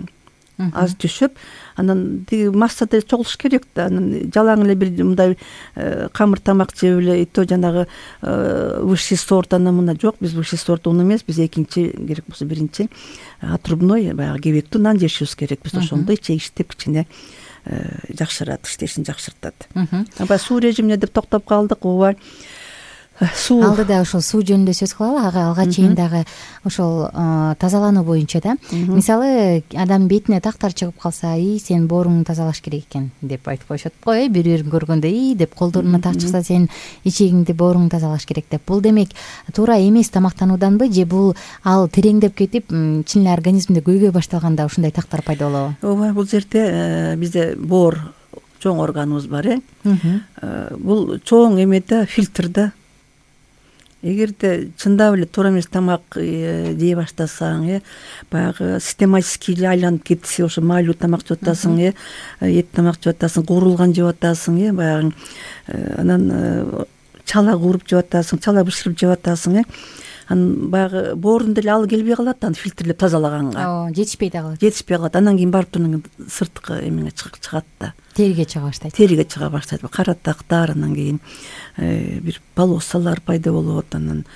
Аз түшүп, анан тиги массада чогулуш керек да. Анан жалаң эле бир мындай камыр тамак жеп эле, то жанагы высший сорт анан мына жок, биз высший сорт ун эмес, биз экинчи керек болсо биринчи отрубной баягы кебектүү нан жешибиз керек. Биз ошондой чегиштеп кичине жакшырат, иштешин жакшыртат. Баягы суу режимине деп токтоп калдык. Ооба. Алдыда ошол суу жөнүндө сөз кылалы. Алга чейин дагы ошол тазалануу боюнча да. Мисалы, адам бетине тактар чыгып калса, сен бооруңду тазалаш керек экен деп айтып коюшат го, бири-бирин көргөндө, деп колдоруна так чыкса, сен ичегиңди, бооруңду тазалаш керек деп. Бул демек туура эмес тамактанууданбы, же бул ал тереңдеп кетип, чын эле организмде көйгөй башталганда ушундай тактар пайда болобу? Ооба, бул жерде бизде боор чоң органыбыз бар, бул чоң эмеде фильтрда. Эгерде чындап эле туура эмес тамак жей баштасаң, баягы систематически эле айланып кетсе, ошо майлуу тамак жеп атасың, эт тамак жеп атасың, куурулган жеп атасың, баягы анан чала кууруп жеп атасың, чала бышырып жеп атасың, анан баягы боордун деле алы келбей калат, аны фильтрлеп тазалаганга. Жетишпей да калат. Жетишпей калат. Анан кийин барып туруп сырткы эмеге чыгат да. Териге чыга баштайт. Териге чыга баштайт. Кара тактар, анан кийин бир полосалар пайда болот, анан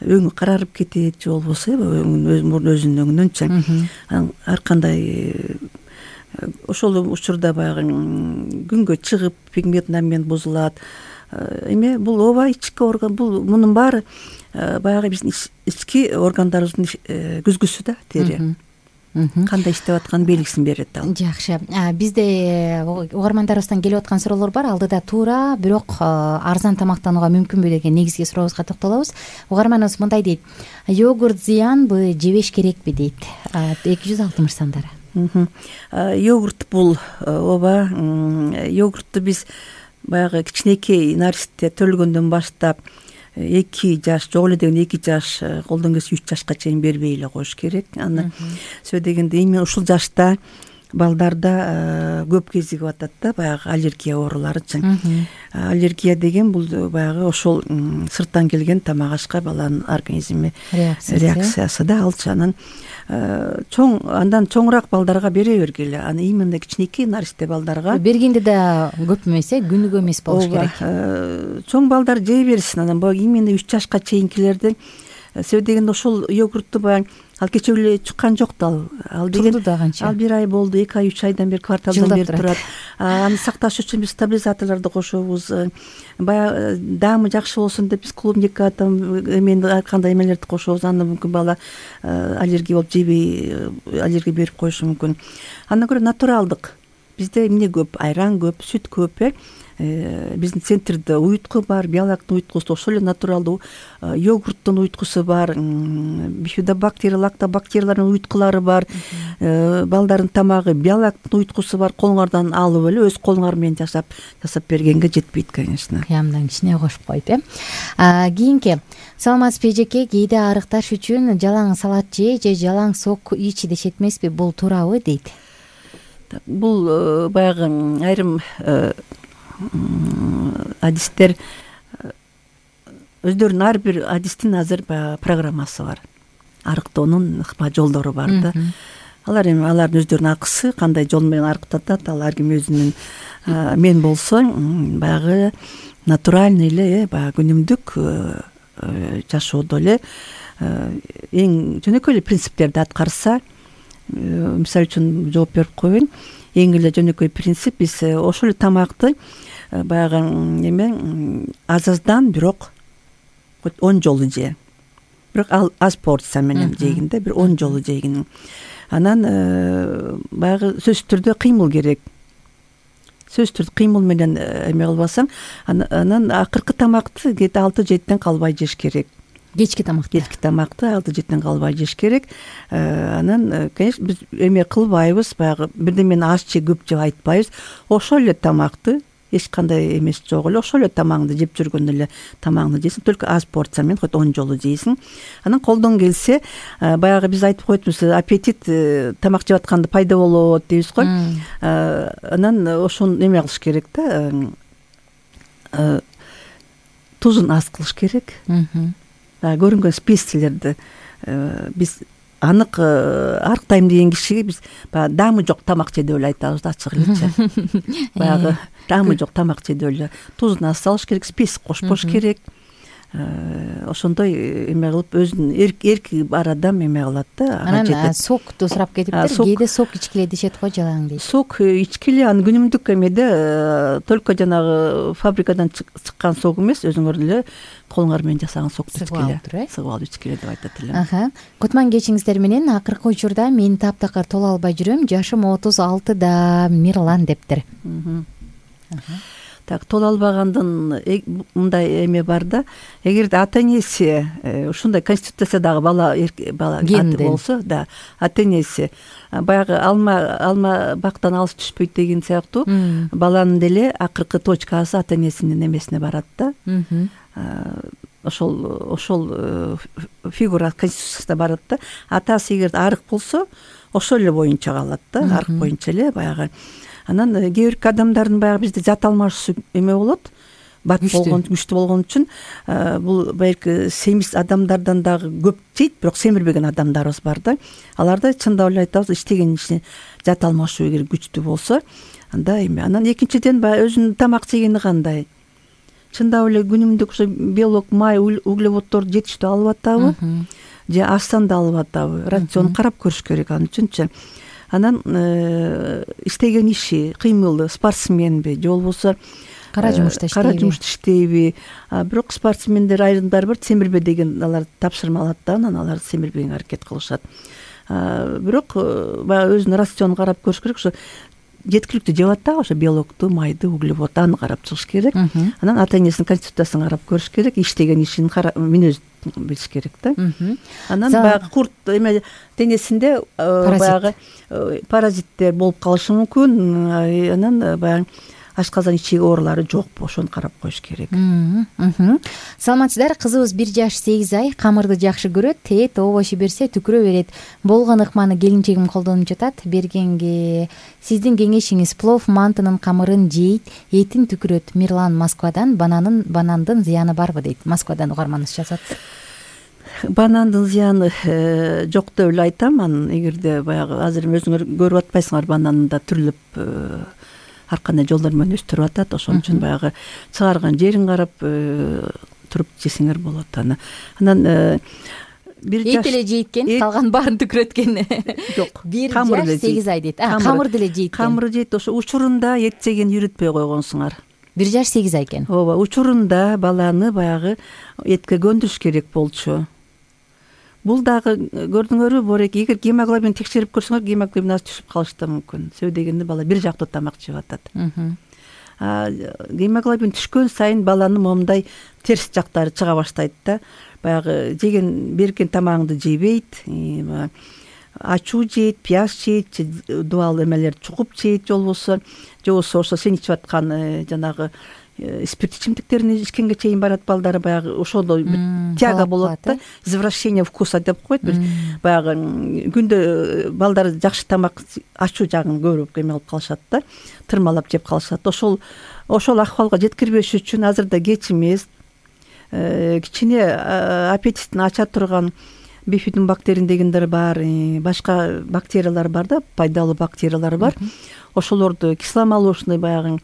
өңү карарып кетет, же болбосо өзүнүн өңүнөнчү. Анан ар кандай ошол учурда баягы күнгө чыгып пигмент бузулат. Эме бул ооба ички орган, бул мунун баары баягы биздин ички органдарыбыздын күзгүсү да, тери. Кандай иштеп атканын белгисин берет ал. Жакшы. Бизде угармандарыбыздан келип аткан суроолор бар. Алдыда туура, бирок арзан тамактанууга мүмкүнбү деген негизги сурообузга токтолобуз. Угарманыбыз мындай дейт: йогурт зыянбы, жебеш керекпи дейт. 260 сандары. Йогурт бул ооба, йогуртту биз баягы кичинекей наристе төлгөндөн баштап 2 жаш, жок эле деген 2 жаш, колдон келсе 3 жашка чейин бербей эле коюш керек. Аны сөз дегенде именно ушул жашта балдарда көп кезигип атат да, баягы аллергия ооруларычы. Аллергия деген бул баягы ошол сырттан келген тамак ашка баланын организми реакциясы да, алчы. Анан андан чоңураак балдарга бере бергиле. Аны именно кичинекей наристе балдарга бергенде да көп эмес, күнүгө эмес болуш керек. Чоң балдар жей берсин. Анан именно 3 жашка чейинкилерди себеп дегенде ошол йогуртту баягы ал кече эле чыккан жок да, ал деген ал 1 ай болду, 2 ай, 3 айдан бери кварталдан бери турат. Аны сакташ үчүн биз стабилизаторлорду кошобуз. Баягы даамы жакшы болсун деп биз клубника эмени ар кандай эмелерди кошобуз. Аны мүмкүн бала аллергия болуп жебей аллергия берип коюшу мүмкүн. Андан көрө натуралдык. Бизде эмне көп? Айран көп, сүт көп. Биздин центрде уйутку бар, биолактын уйуткусу, ошол эле натуралдуу йогурттун уйуткусу бар, бифидобактер, лактобактериялардын уйуткулары бар, балдардын тамагы биолактын уйуткусу бар. Колуңардан алып эле өз колуңар менен жасап бергенге жетпейт, конечно. Кыямдан кичине кошуп коюп, кийинки саламатсызбы эжеке, кээде арыкташ үчүн жалаң салат же жалаң сок ич дешет эмеспи, бул туурабы дейт. Бул баягы айрым адистер өздөрүнүн ар бир адистин азыр программасы бар. Арыктоонун ыкма жолдору бар да. Алардын өздөрүнүн акысы, кандай жол менен арыктатат, ал ар ким өзүнүн. Мен болсо баягы натуральный эле, баягы күнүмдүк жашоодо эле эң жөнөкөй эле принциптерди аткарса, мисалы үчүн жооп берип коеюн. Эң эле жөнөкөй принцип, биз ошол эле тамакты баягы аздан бирок хоть 10 жолу же, бирок ал аз порция менен жейгин да, бир 10 жолу жейгин. Анан баягы сөзсүз түрдө кыймыл керек. Сөзсүз түрдө кыймыл менен эме кылбасаң, анан акыркы тамакты кете 6-7ден калбай жеш керек. Кечки тамакты 6-7ден калбай жеш керек. Анан конечно биз эме кылбайбыз, баягы бирдемени аз же көп жеп айтпайбыз. Ошол эле тамакты эч кандай эмес жок эле, ошол эле тамагыңды жеп жүргөндө эле тамагыңды жейсиң, только аз порция менен хоть 10 жолу жейсиң. Анан колдон келсе, баягы биз айтып коетбуз, аппетит тамак жеп атканда пайда болот дейбиз го. Анан ошону эме кылыш керек да, тузун аз кылыш керек. Көрүнгөн специялерди биз анык арыктайм деген кишиге биз баягы даамы жок тамак же деп эле айтабыз да, ачык элечи. Баягы даамы жок тамак же деп эле тузун аз салыш керек, спец кошпош керек. Ошондой эме кылып өзүнүн эрки бар адам эме кылат да. Анан сокту сурап кетиптир. Кээде сок ичкиле дешет го, жалаң дейт. Сок ичкиле, аны күнүмдүк эмеде только жанагы фабрикадан чыккан сок эмес, өзүңөр эле колуңар менен жасаган сокду ичкиле, сыгып алып ичкиле деп айтат элем. Кутман кечиңиздер менен. Акыркы учурда мен таптакыр тола албай жүрөм, жашым 36-да, Мирлан дептир. Так, тола албагандын мындай эме бар да, эгерде ата энеси ушундай конституциядагы бала аты болсо, да, ата энеси баягы алма бактан алыс түшпөйт деген сыяктуу, баланын деле акыркы точкасы ата энесинин эмесине барат да. Ошол фигура конституцияда барат да. Атасы эгер арык болсо, ошол эле боюнча калат да, арык боюнча эле баягы. Анан кээ бирки адамдардын баягы бизде зат алмашуу эме болот, бат болгон, күчтүү болгон үчүн бул балки семиз адамдардан дагы көп жейт, бирок семирбеген адамдарыбыз бар да. Аларда чындап эле айтабыз, иштеген ишине зат алмашуу эгер күчтүү болсо, анда эме. Анан экинчиден баягы өзүнүн тамак жегени кандай? Чындап эле күнүмдүк ошо белок, май, углеводдорду жетиштүү алып атабы? Же астан да алып атабы? Рационду карап көрүш керек ал үчүнчү. Анан иштеген иши, кыймылы, спортсменби же болбосо кара жумушта иштейби? Бирок спортсмендер айрымдары бар, семирбе деген алар тапшырма алат да, анан алар семирбегенге аракет кылышат. Бирок баягы өзүнүн рационун карап көрүш керек. Ошо жеткиликтүү жеп атабы, ошо белокту, майды, углеводду, аны карап чыгыш керек. Анан ата энесинин конституциясын карап көрүш керек, иштеген ишин мүнөзүн билиш керек да. Анан баягы курт эме денесинде баягы паразиттер болуп калышы мүмкүн. Анан баягы ашказан ичеги оорулары жокпу, ошону карап коюш керек. Саламатсыздар, кызыбыз 1 жаш 8 ай, камырды жакшы көрөт, обошо берсе түкүрө берет. Болгон ыкманы келинчегим колдонуп жатат. Бергенге сиздин кеңешиңиз: плов мантынын камырын жейт, этин түкүрөт. Мирлан Москвадан. Банандын зыяны барбы дейт. Москвадан угарманыбыз жазат. Банандын зыяны жок деп эле айтам. Анан эгерде баягы азыр өзүңөр көрүп атпайсыңар, бананда түрлүп ар кандай жолдор менен өстүрүп атат. Ошон үчүн баягы чыгарган жерин карап туруп жесеңер болот. Анан эт эле жейт экен, калган баарын түкүрөткөн. Жок, 1 жаш 8 ай дейт. Камыр деле жейт. Камыр жейт. Ошо учурунда эт жеген үйрөтпөй койгонсуңар. 1 жаш 8 ай экен. Ооба, учурунда баланы баягы этке көндүрүш керек болчу. Бул дагы көрдүңөрбү, Борек, эгер гемоглобин текшерип көрсөңөр, гемоглобин аз түшүп калышы да мүмкүн. Себеби дегенде бала бир жактуу тамак жеп атат. Гемоглобин түшкөн сайын баланын момундай терс жактары чыга баштайт да. Баягы берген тамагыңды жебейт, ачуу жейт, пияз жейт, дубал эмелерди чукуп жейт, же болбосо ошо сен ичип аткан жанагы спирт ичимдиктерин ичкенге чейин барат балдар. Баягы ошондо тяга болот да, извращение вкуса деп коет. Баягы күндө балдар жакшы тамак, ачуу жагын көрүп эме кылып калышат да, тырмалап жеп калышат. Ошол акыбалга жеткирбеш үчүн азырда кеч эмес, кичине аппетитин ача турган бифидобактерин дегендер бар, башка бактериялар бар да, пайдалуу бактериялар бар. Ошолорду кисломолочный баягы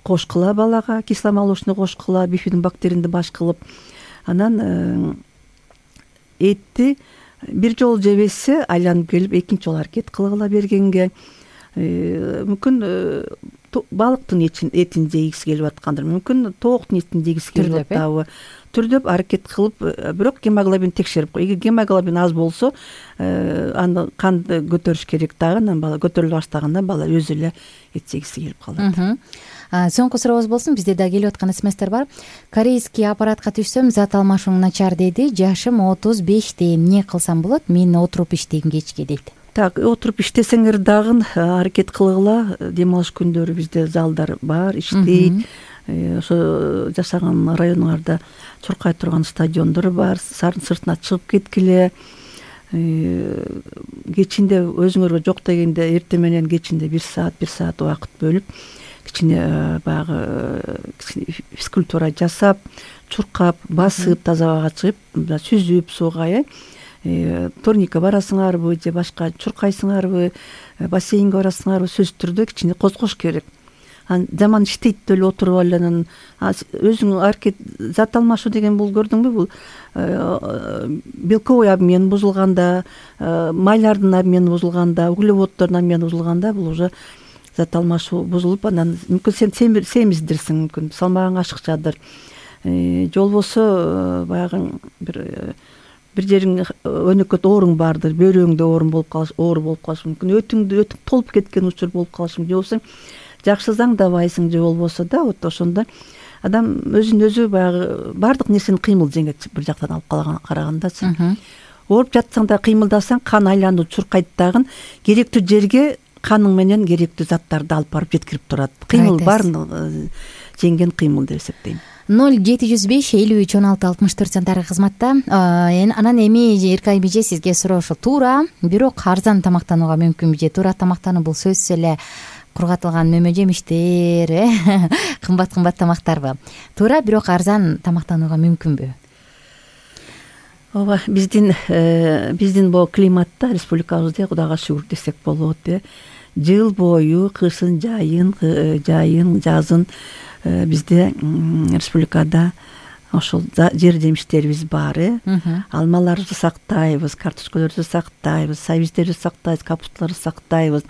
кошкула, балага кисломолочный кошкула, бифидобактеринди баш кылып. Анан этти бир жолу жебесе айланып келип экинчи жолу аракет кылгыла бергенге. Мүмкүн балыктын этин жегиси келип аткандыр, мүмкүн тооктун этин жегиси келип атабы. түрдөп аракет кылып, бирок гемоглобин текшерип кой. Эгер гемоглобин аз болсо, аны канды көтөрүш керек дагы. Анан бала көтөрүлө баштаганда бала өзү эле эт жегиси келип калат. Соңку сурообуз болсун. Бизде да келип аткан смстер бар. Корейский аппаратка түшсөм, зат алмашууң начар деди. Жашым 35 эмне кылсам болот? Мен отуруп иштейм кечке дейт. Так, отуруп иштесеңер дагы аракет кылгыла. Дем алыш күндөрү бизде залдар бар, иштейт. Ошо жашаган районуңарда чуркай турган стадиондор бар. Сардын сыртына чыгып кеткиле. Кечинде өзүңөргө жок дегенде эртең менен кечинде 1 саат убакыт бөлүп, кичине баягы физкультура жасап, чуркап, басып, таза абага чыгып, сүзүп сууга, турникке барасыңарбы же башка чуркайсыңарбы, бассейнге барасыңарбы, сөзсүз түрдө кичине козгош керек. Жаман иштейт деп эле отуруп алып анан өзүң аракет зат алмашуу деген бул, көрдүңбү, бул белковый обмен бузулганда, майлардын обмени бузулганда, углеводдордун обмени бузулганда, бул уже зат алмашуу бузулуп, анан мүмкүн сен семиздирсиң, мүмкүн салмагың ашыкчадыр, же болбосо баягы бир жериң өнөкөт ооруң бардыр, бөйрөгүңдө оор болуп калышы мүмкүн, өтүң толуп кеткен учур болуп калышы мүмкүн, же болбосо жакшы заңдабайсың, же болбосо да вот ошондо адам өзүн өзү баягы бардык нерсени кыймыл жеңет. Бир жактан алып карагандачы, ооруп жатсаң да кыймылдасаң, кан айлануу чуркайт дагы, керектүү жерге каның менен керектүү заттарды алып барып жеткирип турат. Кыймыл баарын жеңген кыймыл деп эсептейм. 0705-53-16-64 сандары кызматта. Анан эми Эркай бийже сизге суроо ушул. Туура, бирок арзан тамактанууга мүмкүнбү же? Туура тамактануу бул сөзсүз эле кургатылган мөмө жемиштер, кымбат тамактарбы? Туура, бирок арзан тамактанууга мүмкүнбү? Ооба, биздин бул климатта, республикабызда Кудайга шүгүр десек болот. Жыл бою кышын, жайын, жазын бизде республикада ошол жер жемиштерибиз бар. Алмаларды сактайбыз, картошкаларды сактайбыз, сабиздерди сактайбыз, капусталарды сактайбыз.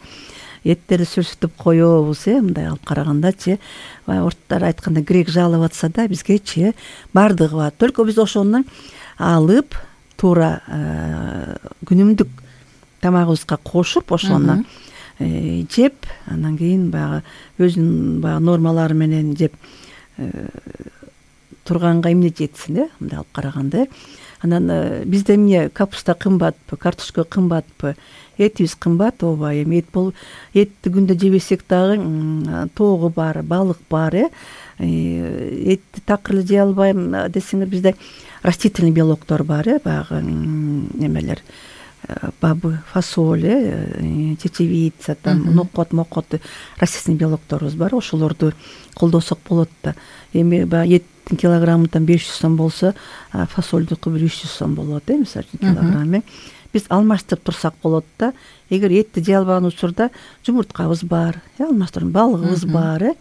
Эттерди сүрсүтүп коебуз, мындай алып карагандачы. Орттар айтканда грек жалып атса да, бизгечи бардыгы бар. Только биз ошону алып, туура күнүмдүк тамагыбызга кошуп, ошону жеп, анан кийин баягы өзүнүн баягы нормалары менен жеп турганга эмне жетсин, мындай алып караганда. Анан бизде эмне, капуста кымбатпы, картошка кымбатпы, этибиз кымбат, ооба. Эми этти күндө жебесек дагы тоогу бар, балык бар. Этти такыр эле жей албайм десеңер, бизде растительный белоктор бар, баягы немелер, бабы, фасоль, чечевица, нокот, растительный белокторубуз бар. Ошолорду колдосок болот да. Эми баягы эттин килограммы 500 сом болсо, фасолдуку 300 сом болот, мисалы үчүн килограмм. Биз алмаштырып турсак болот да. Эгер этти жей албаган учурда жумурткабыз бар, алмаштырып балыгыбыз бар,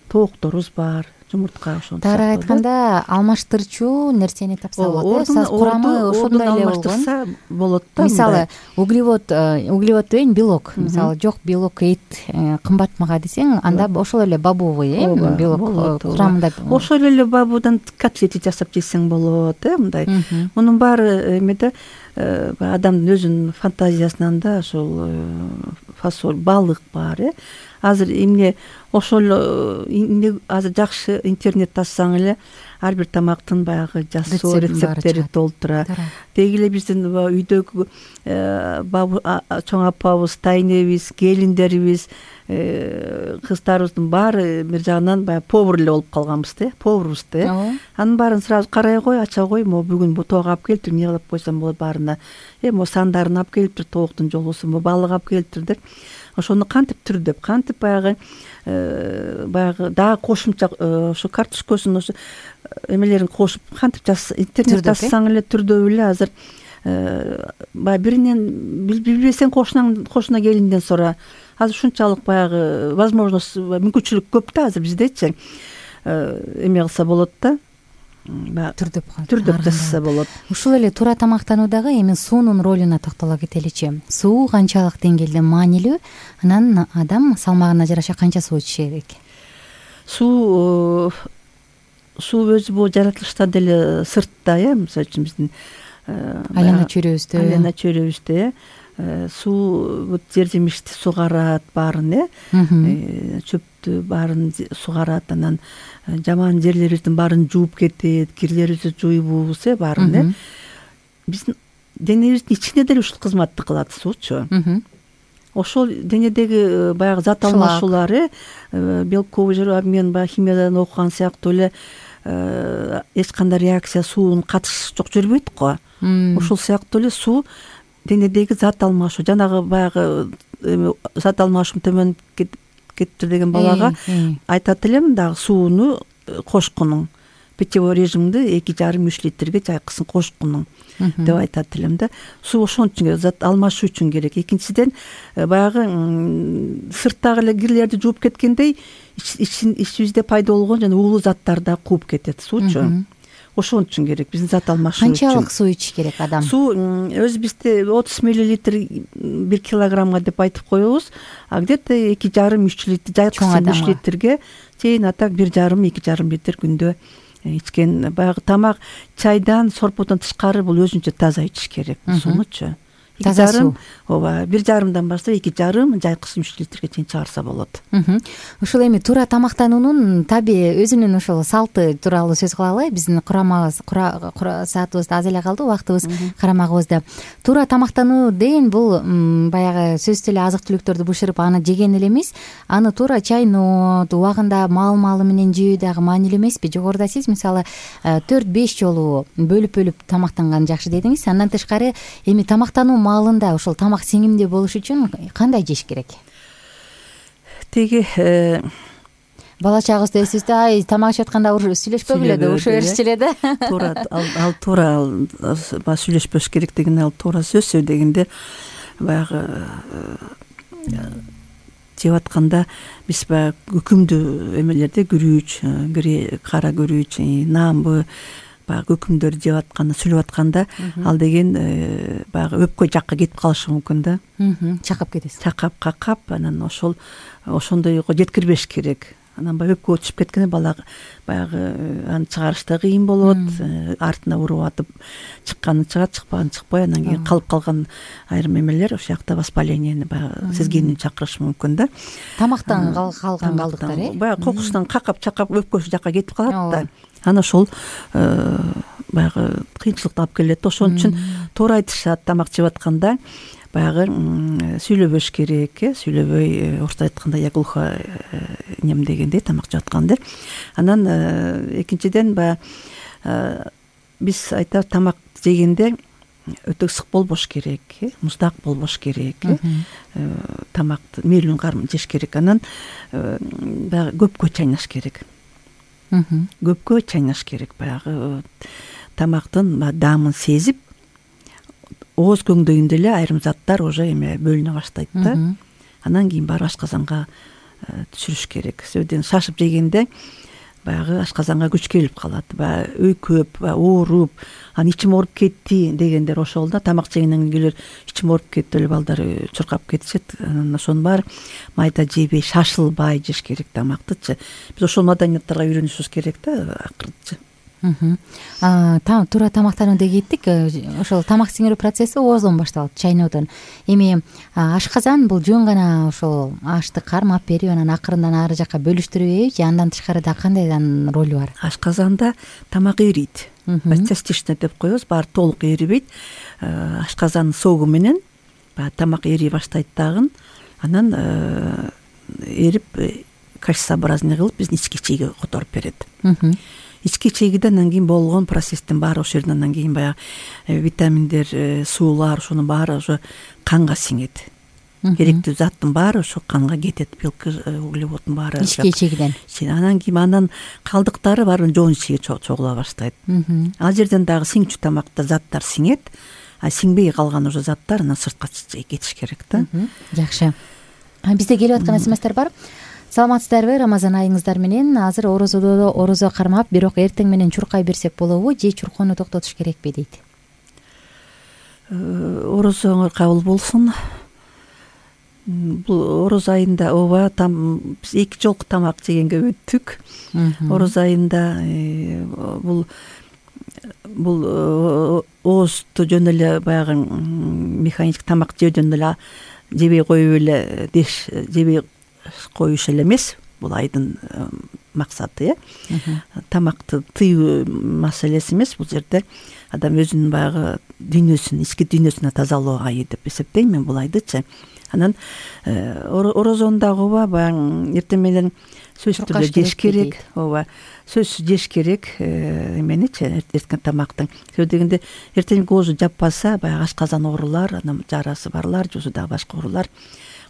тоокторубуз бар, жумуртка ошону. Тагыраак айтканда, алмаштырчу нерсени тапса болот. Курамы ошондой алмаштырса болот да. Мисалы, углевод деген белок. Мисалы, жок белок, эт кымбат мага десең, анда ошол эле бабовый белок курамында. Ошол эле бабудан котлети жасап жесең болот, мындай. Мунун баары эмеде адамдын өзүнүн фантазиясынан да ошол фасоль, балык бар. Азыр эмне ошол азыр жакшы интернет тассаң эле ар бир тамактын баягы жасоо рецепттери толтура. Деги эле биздин үйдөгү чоң апабыз, тайнебиз, келиндерибиз, кыздарыбыздын баары бир жагынан баягы повар эле болуп калганбыз, поварбыз. Анын баарын сразу карай кой, ача кой, могу бүгүн бу тоок алып келиптир, эмне кылып койсом болот баарына. Могу сандарын алып келиптир, тооктун же болбосо могу балык алып келиптир деп. Ошону кантип түрдөп, кантип баягы дагы кошумча ошо картошкасын, ошо эмелерин кошуп, кантип интернет тассаң эле түрдөп эле азыр баягы биринен билбесең кошуна келинден сора. Азыр ушунчалык баягы возможность, мүмкүнчүлүк көп да азыр биздечи. Эме кылса болот да. Түрдөп жасаса болот. Ушул эле туура тамактануудагы эми суунун ролуна токтоло кетеличи. Суу канчалык деңгээлде маанилүү? Анан адам салмагына жараша канча суу ичиш керек? Суу суу өзү бул жаратылышта деле сыртта, мисалы үчүн биздин айлана чөйрөбүздө суу жер жемишти сугарат баарын, чөптү баарын сугарат, анан жаман жерлерибиздин баарын жууп кетет, кирлерибизди жуйбуз, баарын биздин денебиздин ичине деле ушул кызматты кылат суучу. Ошол денедеги баягы зат алмашуулар, белковый жир обмен, баягы химиядан окуган сыяктуу эле эч кандай реакция, суунун катышы жок жүрбөйт го. Ошол сыяктуу эле суу денедеги зат алмашуу, жанагы баягы зат алмашуу төмөнүп кетиптир деген балага айтат элем, дагы сууну кошкунуң, питьевой режимди 2,5-3 литрге жайкысын кошкунуң деп айтат элем да. Суу ошон үчүн зат алмашуу үчүн керек. Экинчиден баягы сырттагы эле кирлерди жууп кеткендей ичибизде пайда болгон жана уулуу заттарды да кууп кетет суучу. Ошон үчүн керек биздин зат алмашуу үчүн. Канчалык суу ичиш керек адам? Суу өзүбүздө 30 миллилитр 1 килограммга деп айтып коебуз, а где-то 2,5-3 литр, жайкысын 3 литрге чейин атак 1,5-2,5 литр күндө ичкен. Баягы тамак, чайдан, сорподон тышкары бул өзүнчө таза ичиш керек суунучу. Таза суу. Ооба, 1,5 баштап 2,5, жайкысын 3 литрге чейин чыгарса болот. Ушул эми туура тамактануунун таби өзүнүн ошол салты тууралуу сөз кылалы. Биздин саатыбыз аз эле калды, убактыбыз карамагыбызда. Туура тамактануу деген бул баягы сөзсүз эле азык түлүктөрдү бышырып аны жеген эле эмес, аны туура чайноо убагында маал менен жөө дагы маанилүү эмеспи? Жогоруда сиз мисалы 4-5 жолу бөлүп тамактанган жакшы дедиңиз. Андан тышкары эми тамактануу маалында ошол тамак сиңимдүү болуш үчүн кандай жеш керек? Теги бала чагыбызда эсибизде, тамак ичип атканда сүйлөшпөгүлө да, ушу беришчү эле да. Туура, ал туура сүйлөшпөш керек деген, ал туура сөз дегенде баягы жеп атканда биз баягы өкүмдүү эмелерде күрүч, кара күрүч, наамбы баягы өкүмдөрдү жеп атканда, сүйлөп атканда ал деген баягы өпкө жакка кетип калышы мүмкүн да. Чакап кетесиз. Чакап, какап, анан ошондойго жеткирбеш керек. Анан баягы өпкө түшүп кеткенде бала баягы аны чыгарышта кыйын болот, артына уруп атып чыкканы чыгат, чыкпаганы чыкпай, анан кийин калып калган айрым эмелер ошол жакта воспалениени баягы сезгенин чакырышы мүмкүн да. Тамактан калган калдыктар, баягы кокусунан какап өпкөсү жакка кетип калат да. Ана ошол баягы кыйынчылыкты алып келет. Ошон үчүн туура айтышат, тамак жеп атканда баягы сүйлөбөш керек, сүйлөбөй, орусча айтканда я глухо нем дегендей тамак жеп атканда. Анан экинчиден биз айтабыз, тамак жегенде өтө ысык болбош керек, муздак болбош керек, тамакты мейлүү кармын жеш керек. Анан баягы көпкө чайнаш керек. Көпкө чайнаш керек, баягы тамактын даамын сезип, ооз көңдөйүндө эле айрым заттар уже эме бөлүнө баштайт да. Анан кийин барып ашказанга түшүрүш керек. Сөйдөн шашып жегенде баягы ашказанга күч келип калат. Баягы өйкөп, ооруп, анан ичим ооруп кетти дегендер ошол да. Тамак жегенден кийин ичим ооруп кетти деп балдар чуркап кетишет. Анан ошонун баары майда жебей, шашылбай жеш керек тамактычы. Биз ошол маданиятка үйрөнүшүбүз керек да акырынча. Туура тамактанууга кеттик. Ошол тамак сиңирүү процесси ооздон башталат, чайноодон. Эми ашказан бул жөн гана ошол ашты кармап берип, анан акырындан ары жакка бөлүштүрүп, же андан тышкары да кандай ролу бар? Ашказанда тамак эрийт. Частично деп коебуз, баары толук эрибейт. Ашказандын соогу менен тамак эрий баштайт дагы. Анан эрип кашеобразный кылып биздин ички чийге которуп берет. Ички чийгиде анан кийин болгон процесстин баары ошол жерден андан кийин баягы витаминдер, суулар, ошонун баары уже канга сиңет. Керектүү заттын баары ошо канга кетет, белки, углеводдун баары ички чийгиден. Анан кийин андан калдыктары баары жоон ичиге чогула баштайт. Ал жерден дагы сиңчү тамакта заттар сиңет, а сиңбей калган уже заттар анан сыртка кетиш керек да. Жакшы. Бизде келип аткан смстер бар. Саламатсыздарбы, Рамазан айыңыздар менен. Азыр орозо кармап, бирок эртең менен чуркай берсек болобу, же чуркоону токтотуш керекпи дейт. 「 орозоңор кабыл болсун. 」 « 」 « — 」 — 」 — 」 — 」 — 」 — 」 — 」 — 」 — — 」 — 」 — — — — — — — — — — — — — — — — — — — — — — — — — — Бул ороз айында ооба биз 2 жолку тамак жегенге өттүк. Ороз айында бул оозду жөн эле баягы механик тамак жөөдөн эле жебей коюп эле жебей коюш эле эмес. Бул айдын максаты, тамакты тыюу маселеси эмес. Бул жерде адам өзүнүн баягы дүйнөсүн, ички дүйнөсүнө тазалоо айы деп эсептейм мен бул айдычы. Анан орозондагы ооба баягы эртең менен сөзсүз түрдө жеш керек. Ооба, сөзсүз жеш керек эменичи, эртең тамактын. Себеби дегенде эртеңки оозу жаппаса, баягы ашказан оорулар, анан жарасы барлар, же дагы башка оорулар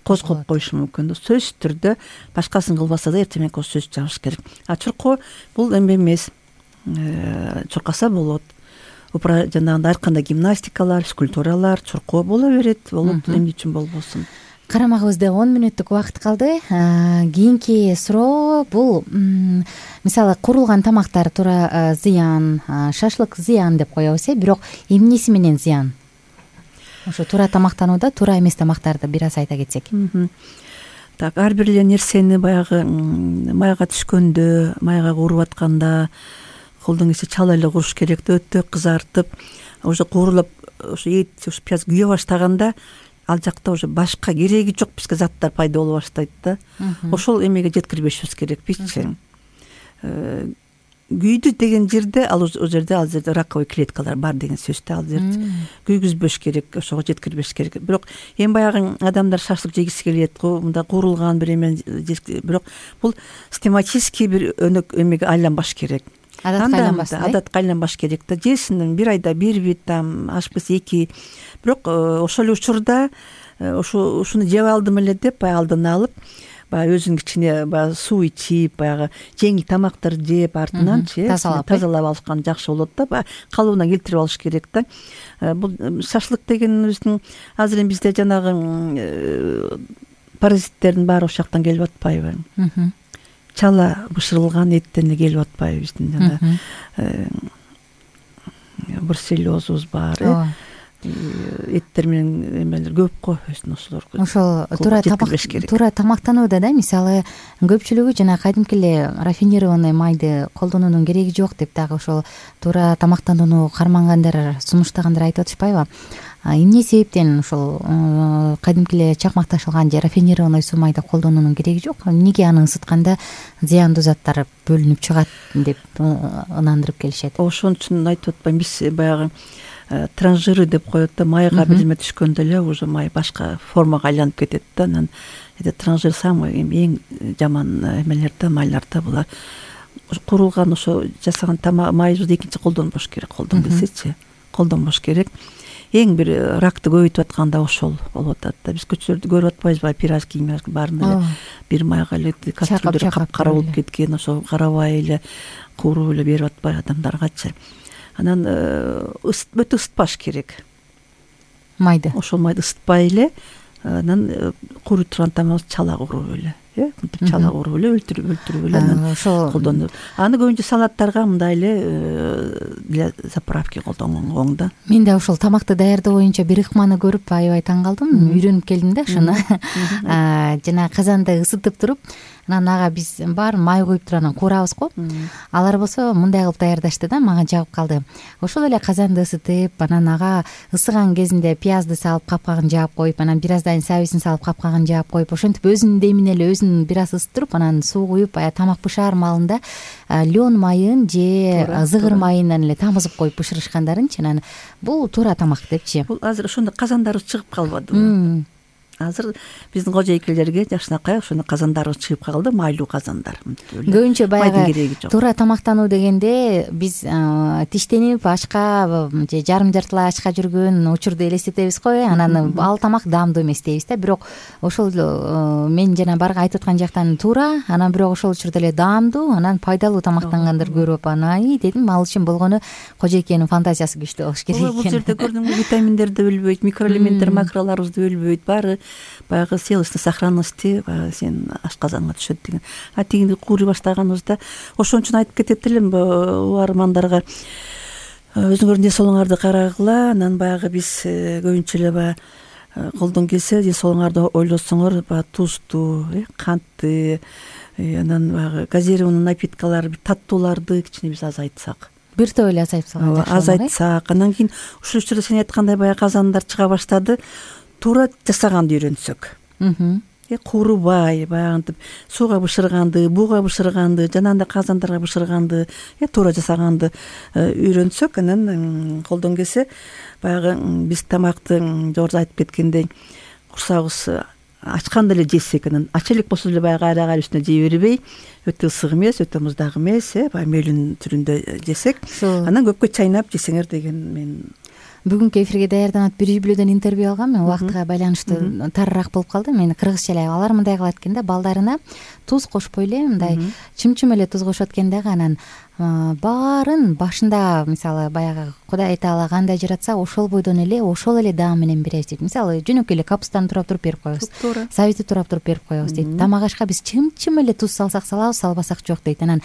козгоп коюшу мүмкүн. Сөзсүз түрдө башкасын кылбаса да эртең менен сөз жабыш керек. Чуркоо бул эме эмес. Чуркаса болот. Жанагындай ар кандай гимнастикалар, скульптуралар, чуркоо боло берет. Болот, эмне үчүн болбосун. Карамагыбызда 10 мүнөттүк убакыт калды. Кийинки суроо бул мисалы курулган тамактар туура зыян, шашлык зыян деп коебуз, бирок эмнеси менен зыян? Ошо туура тамактанууда туура эмес тамактарды бир аз айта кетсек. Так, ар бир эле нерсени баягы майга түшкөндө, майга кууруп атканда колдон келсе чала эле куруш керек да, өтө кызартып, уже куурулуп, ошо эт, ошо пияз күйө баштаганда ал жакта уже башка кереги жок бизге заттар пайда боло баштайт да. Ошол эмеге жеткирбешибиз керекпичи. Күйдү деген жерде ал жерде раковый клеткалар бар деген сөз да. Ал жерде күйгүзбөш керек, ошого жеткирбеш керек. Бирок эми баягы адамдар шашлык жегиси келет, мындай куурулган бир эме, бирок бул систематический бир өнөк эмеге айланбаш керек. Адатка айланбаш керек да. Жесин бир айда бир бит, ашып кетсе 2. Бирок ошол эле учурда ушуну жеп алдым эле деп баягы алдын алып, баягы өзүн кичине баягы суу ичип, баягы жеңил тамактар жеп артынанчы тазалап алышкан жакшы болот да. Баягы калыбына келтирип алыш керек да. Бул шашлык дегенибиздин азыр эми бизде жанагы паразиттердин баары ошол жактан келип атпайбы? Чала бышырылган эттен эле келип атпайбы биздин жана бруцеллезубуз бар, эттер менен эмелер көп го ошолор. Ошол туура тамактанууда да, мисалы көпчүлүгү жана кадимки эле рафинированный майды колдонуунун кереги жок деп дагы ошол туура тамактанууну кармангандар, сунуштагандар айтып атышпайбы? Эмне себептен ушул кадимки эле чакмакташылган же рафинированный суу майды колдонуунун кереги жок? Эмнеге аны ысытканда зыяндуу заттар бөлүнүп чыгат деп ынандырып келишет? Ошон үчүн айтып атпайм, биз баягы транжиры деп коет да, майга билме түшкөндө эле уже май башка формага айланып кетет да. Анан транжир самый эң жаман эмелер да, майлар да булар. Курулган ошо жасаган майыбызды экинчи колдонбош керек, колдон келсечи, колдонбош керек. Эң бир ракты көбөйтүп атканда ошол болуп атат да. Биз көчөлөрдө көрүп атпайбызбы, пирожки баарында эле бир майга эле кастрюльдөр капкара болуп кеткен, ошо карабай эле кууруп эле берип атпайбы адамдаргачы. Анан өтө ысытпаш керек майды. Ошол майды ысытпай эле, анан кууруп турган тамагыбыз чала кууруп эле, чала кууруп эле өлтүрүп эле анан ошол колдонуп. Аны көбүнчө салаттарга мындай эле заправки колдонгонго оң да. Мен да ошол тамакты даярдоо боюнча бир ыкманы көрүп аябай таң калдым, үйрөнүп келдим да ошону. Жана казанды ысытып туруп, анан ага биз бар май куюп туруп анан куурабыз го. Алар болсо мындай кылып даярдашты да, мага жагып калды. Ошол эле казанды ысытып, анан ага ысыган кезинде пиязды салып капкагын жаап коюп, анан бир аздан сабизин салып капкагын жаап коюп, ошентип өзүнүн демине эле өзүн бир аз ысыттырып, анан суу куюп, тамак бышаар маалында лён майын же зыгыр майынан эле тамызып коюп бышырышкандарынчы. Анан бул туура тамак депчи. Бул азыр ошондой казандарыбыз чыгып калбадыбы? Азыр биздин кожойкелерге жакшынакай ошондой казандарыбыз чыгып калды, майлуу казандар. Көбүнчө баягы туура тамактануу дегенде биз тиштенип ашка же жарым жартылай ашка жүргөн учурду элестетебиз го, анан ал тамак даамдуу эмес дейбиз да. Бирок ошол мен жана барга айтып аткан жактан туура, анан бирок ошол учурда эле даамдуу, анан пайдалуу тамактангандар көрүп анан дедим, ал үчүн болгону кожойкенин фантазиясы күчтүү болуш керек экен. Бул жерде көрдүңбү, витаминдер да өлбөйт, микроэлементтер, макролорубуз да өлбөйт, баары баягы целостный сохранности сен ашказанга түшөт деген. Тигинди кууруй баштаганыбызда ошон үчүн айтып кетет элем угармандарга, өзүңөрдүн ден соолуңарды карагыла. Анан баягы биз көбүнчө эле баягы колдон келсе ден соолугуңарды ойлосоңор баягы тузду, кантты, анан баягы газированный напиткалар, таттууларды кичине биз азайтсак, бир топ эле азайтсак, анан кийин ушул учурда сен айткандай баягы казандар чыга баштады, туура жасаганды үйрөнсөк, куурубай баягынтип сууга бышырганды, буга бышырганды, жанагындай казандарга бышырганды, туура жасаганды үйрөнсөк, анан колдон келсе баягы биз тамакты жогоруда айтып кеткендей курсагыбыз ачканда эле жесек, анан ача элек болсо деле баягы айрак үстүнө жей бербей, өтө ысык эмес, өтө муздак эмес, баягы мөөлүн түрүндө жесек, анан көпкө чайнап жесеңер деген мен бүгүнкү эфирге даярданып бир үй-бүлөдөн интервью алгам. Мен убактыга байланыштуу тарыраак болуп калды. Мен кыргызча эле алар мындай кылат экен да, балдарына туз кошпой эле мындай чым-чым эле туз кошот экен дагы, анан баарын башында мисалы баягы Кудай Таала кандай жаратса ошол бойдон эле ошол эле даам менен беребиз дейт. Мисалы жөнөкөй эле капустаны турап туруп берип коебуз, сабизди турап туруп берип коебуз дейт. Тамак ашка биз чым-чым эле туз салсак салабыз, салбасак жок дейт. Анан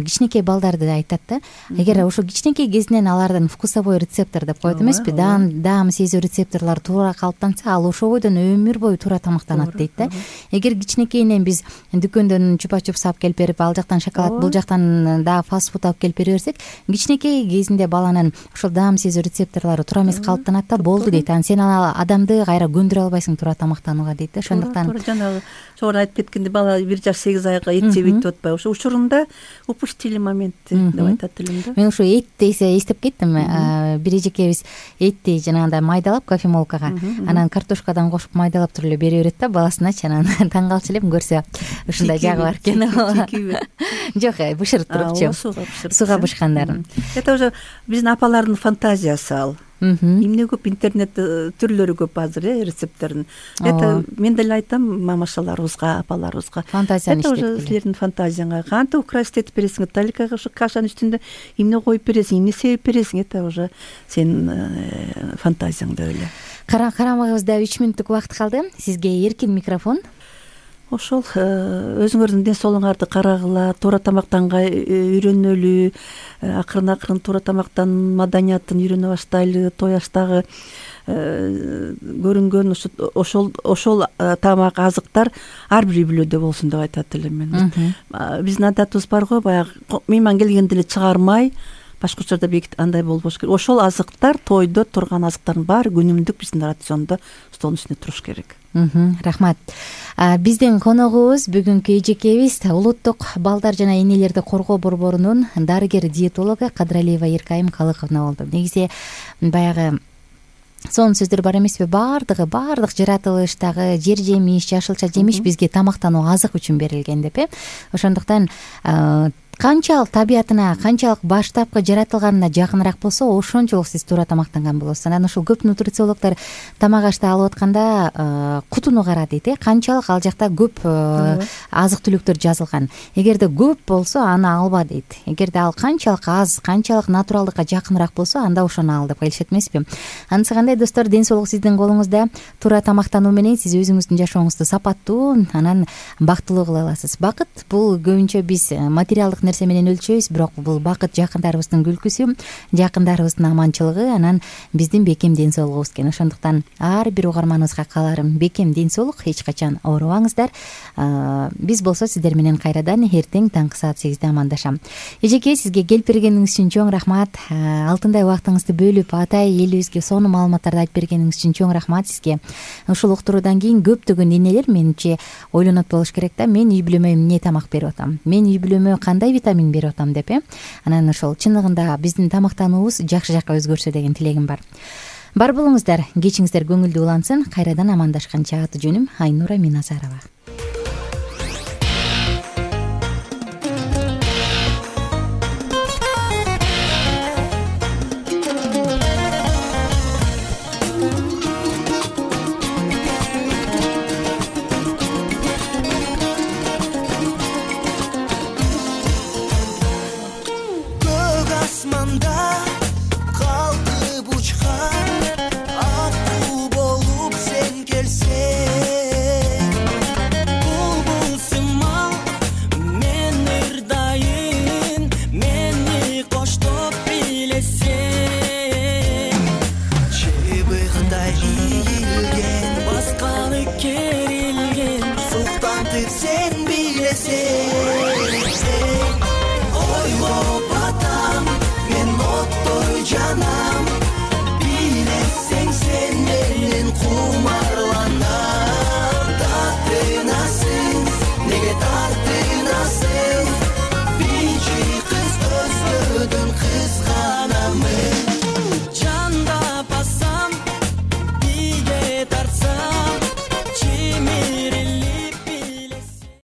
кичинекей балдарды айтат да, эгер ошо кичинекей кезинен алардын вкусовой рецептор деп коет эмеспи, даам сезүү рецепторлору туура калыптанса, ал ошол бойдон өмүр бою туура тамактанат дейт да. Эгер кичинекейинен биз дүкөндөн чупа-чупс алып келип берип, ал жактан шоколад, бул жактан дагы фастфуд алып келип бере берсек, кичинекей кезинде баланын ошол даам сезүү рецепторлору туура эмес калыптанат да, болду дейт. Анан сен адамды кайра көндүрө албайсың туура тамактанууга дейт да. Ошондуктан жанагы жогоруда айтып кеткендей, бала 1 жаш 8 айга эт жебейт деп атпайбы, ошо учурунда упустили моментти деп айтат элем да. Мен ошо эт десе эстеп кеттим. Бир эжекебиз этти жанагындай майдалап кофемолкага, анан картошкадан кошуп майдалап туруп эле бере берет да баласыначы. Анан таң калчу элем көрсө ушундай жагы бар экен. Жок, бышырып турупчу. Сууга бышкандарын. Это уже биздин апалардын фантазиясы ал. Эмне көп интернетте түрлөрү көп азыр рецепттердин. Это мен деле айтам мамашаларыбызга, апаларыбызга. Фантазияны иштетип. Это уже силердин фантазияңа. Кантип украсть этип бересиң, таликага ушу кашанын үстүндө эмне коюп бересиң, эмне себеп бересиң, это уже сенин фантазияңда эле. Карамагыбызда 3 мүнөттүк убакыт калды. Сизге эркин микрофон. Ошол өзүңөрдүн ден соолугуңарды карагыла, туура тамактанга үйрөнөлү, акырын туура тамактан маданиятын үйрөнө баштайлы, той аштагы көрүнгөн ошол тамак азыктар ар бир үй-бүлөдө болсун деп айтат элем мен. Биздин адатыбыз бар го, баягы мейман келгенде эле чыгармай, башка учурда бекит андай болбош керек. Ошол азыктар, тойдо турган азыктардын баары күнүмдүк биздин рациондо столдун үстүндө туруш керек. Рахмат. Биздин коногубуз бүгүнкү эжекебиз улуттук балдар жана энелерди коргоо борборунун дарыгер диетологу Кадралиева Эркайым Калыковна болду. Негизи баягы сонун сөздөр бар эмеспи? Баардык жаратылыштагы жер жемиш, жашылча жемиш бизге тамактануу азык үчүн берилген деп. Ошондуктан канчалык табиятына, канчалык баштапкы жаратылганына жакыныраак болсо, ошончолук сиз туура тамактанган болосуз. Анан ошол көп нутрициологдор тамак ашты алып атканда кутуну кара дейт, канчалык ал жакта көп азык-түлүктөр жазылган. Эгерде көп болсо, аны алба дейт. Эгерде ал канчалык аз, канчалык натуралдыкка жакыныраак болсо, анда ошону ал деп келишет эмеспи? Анысы кандай, достор, ден соолук сиздин колуңузда. Туура тамактануу менен сиз өзүңүздүн жашооңузду сапаттуу, анан бактылуу кыла аласыз. Бакыт бул көбүнчө биз материалдык нерсе менен өлчөйбүз, бирок бул бакыт жакындарыбыздын күлкүсү, жакындарыбыздын аманчылыгы, анан биздин бекем ден соолугубуз экен. Ошондуктан ар бир угарманыбызга кааларым бекем ден соолук, эч качан оорубаңыздар. Биз болсо сиздер менен кайрадан эртең таңкы саат 8де амандашам. Эжеке, сизге келип бергениңиз үчүн чоң рахмат. Алтындай убактыңызды бөлүп, атай элибизге сонун маалыматтарды айтып бергениңиз үчүн чоң рахмат сизге. Ушул уктуруудан кийин көптөгөн энелер менимче ойлонот болуш керек да, мен үй-бүлөмө эмне тамак берип атам, мен үй-бүлөмө кандай витамин берип атам деп. Анан ошол чыныгында биздин тамактануубуз жакшы жакка өзгөрсө деген тилегим бар. Бар болуңуздар, кечиңиздер көңүлдүү улансын. Кайрадан амандашканча аты жөнүм Айнура Миназарова.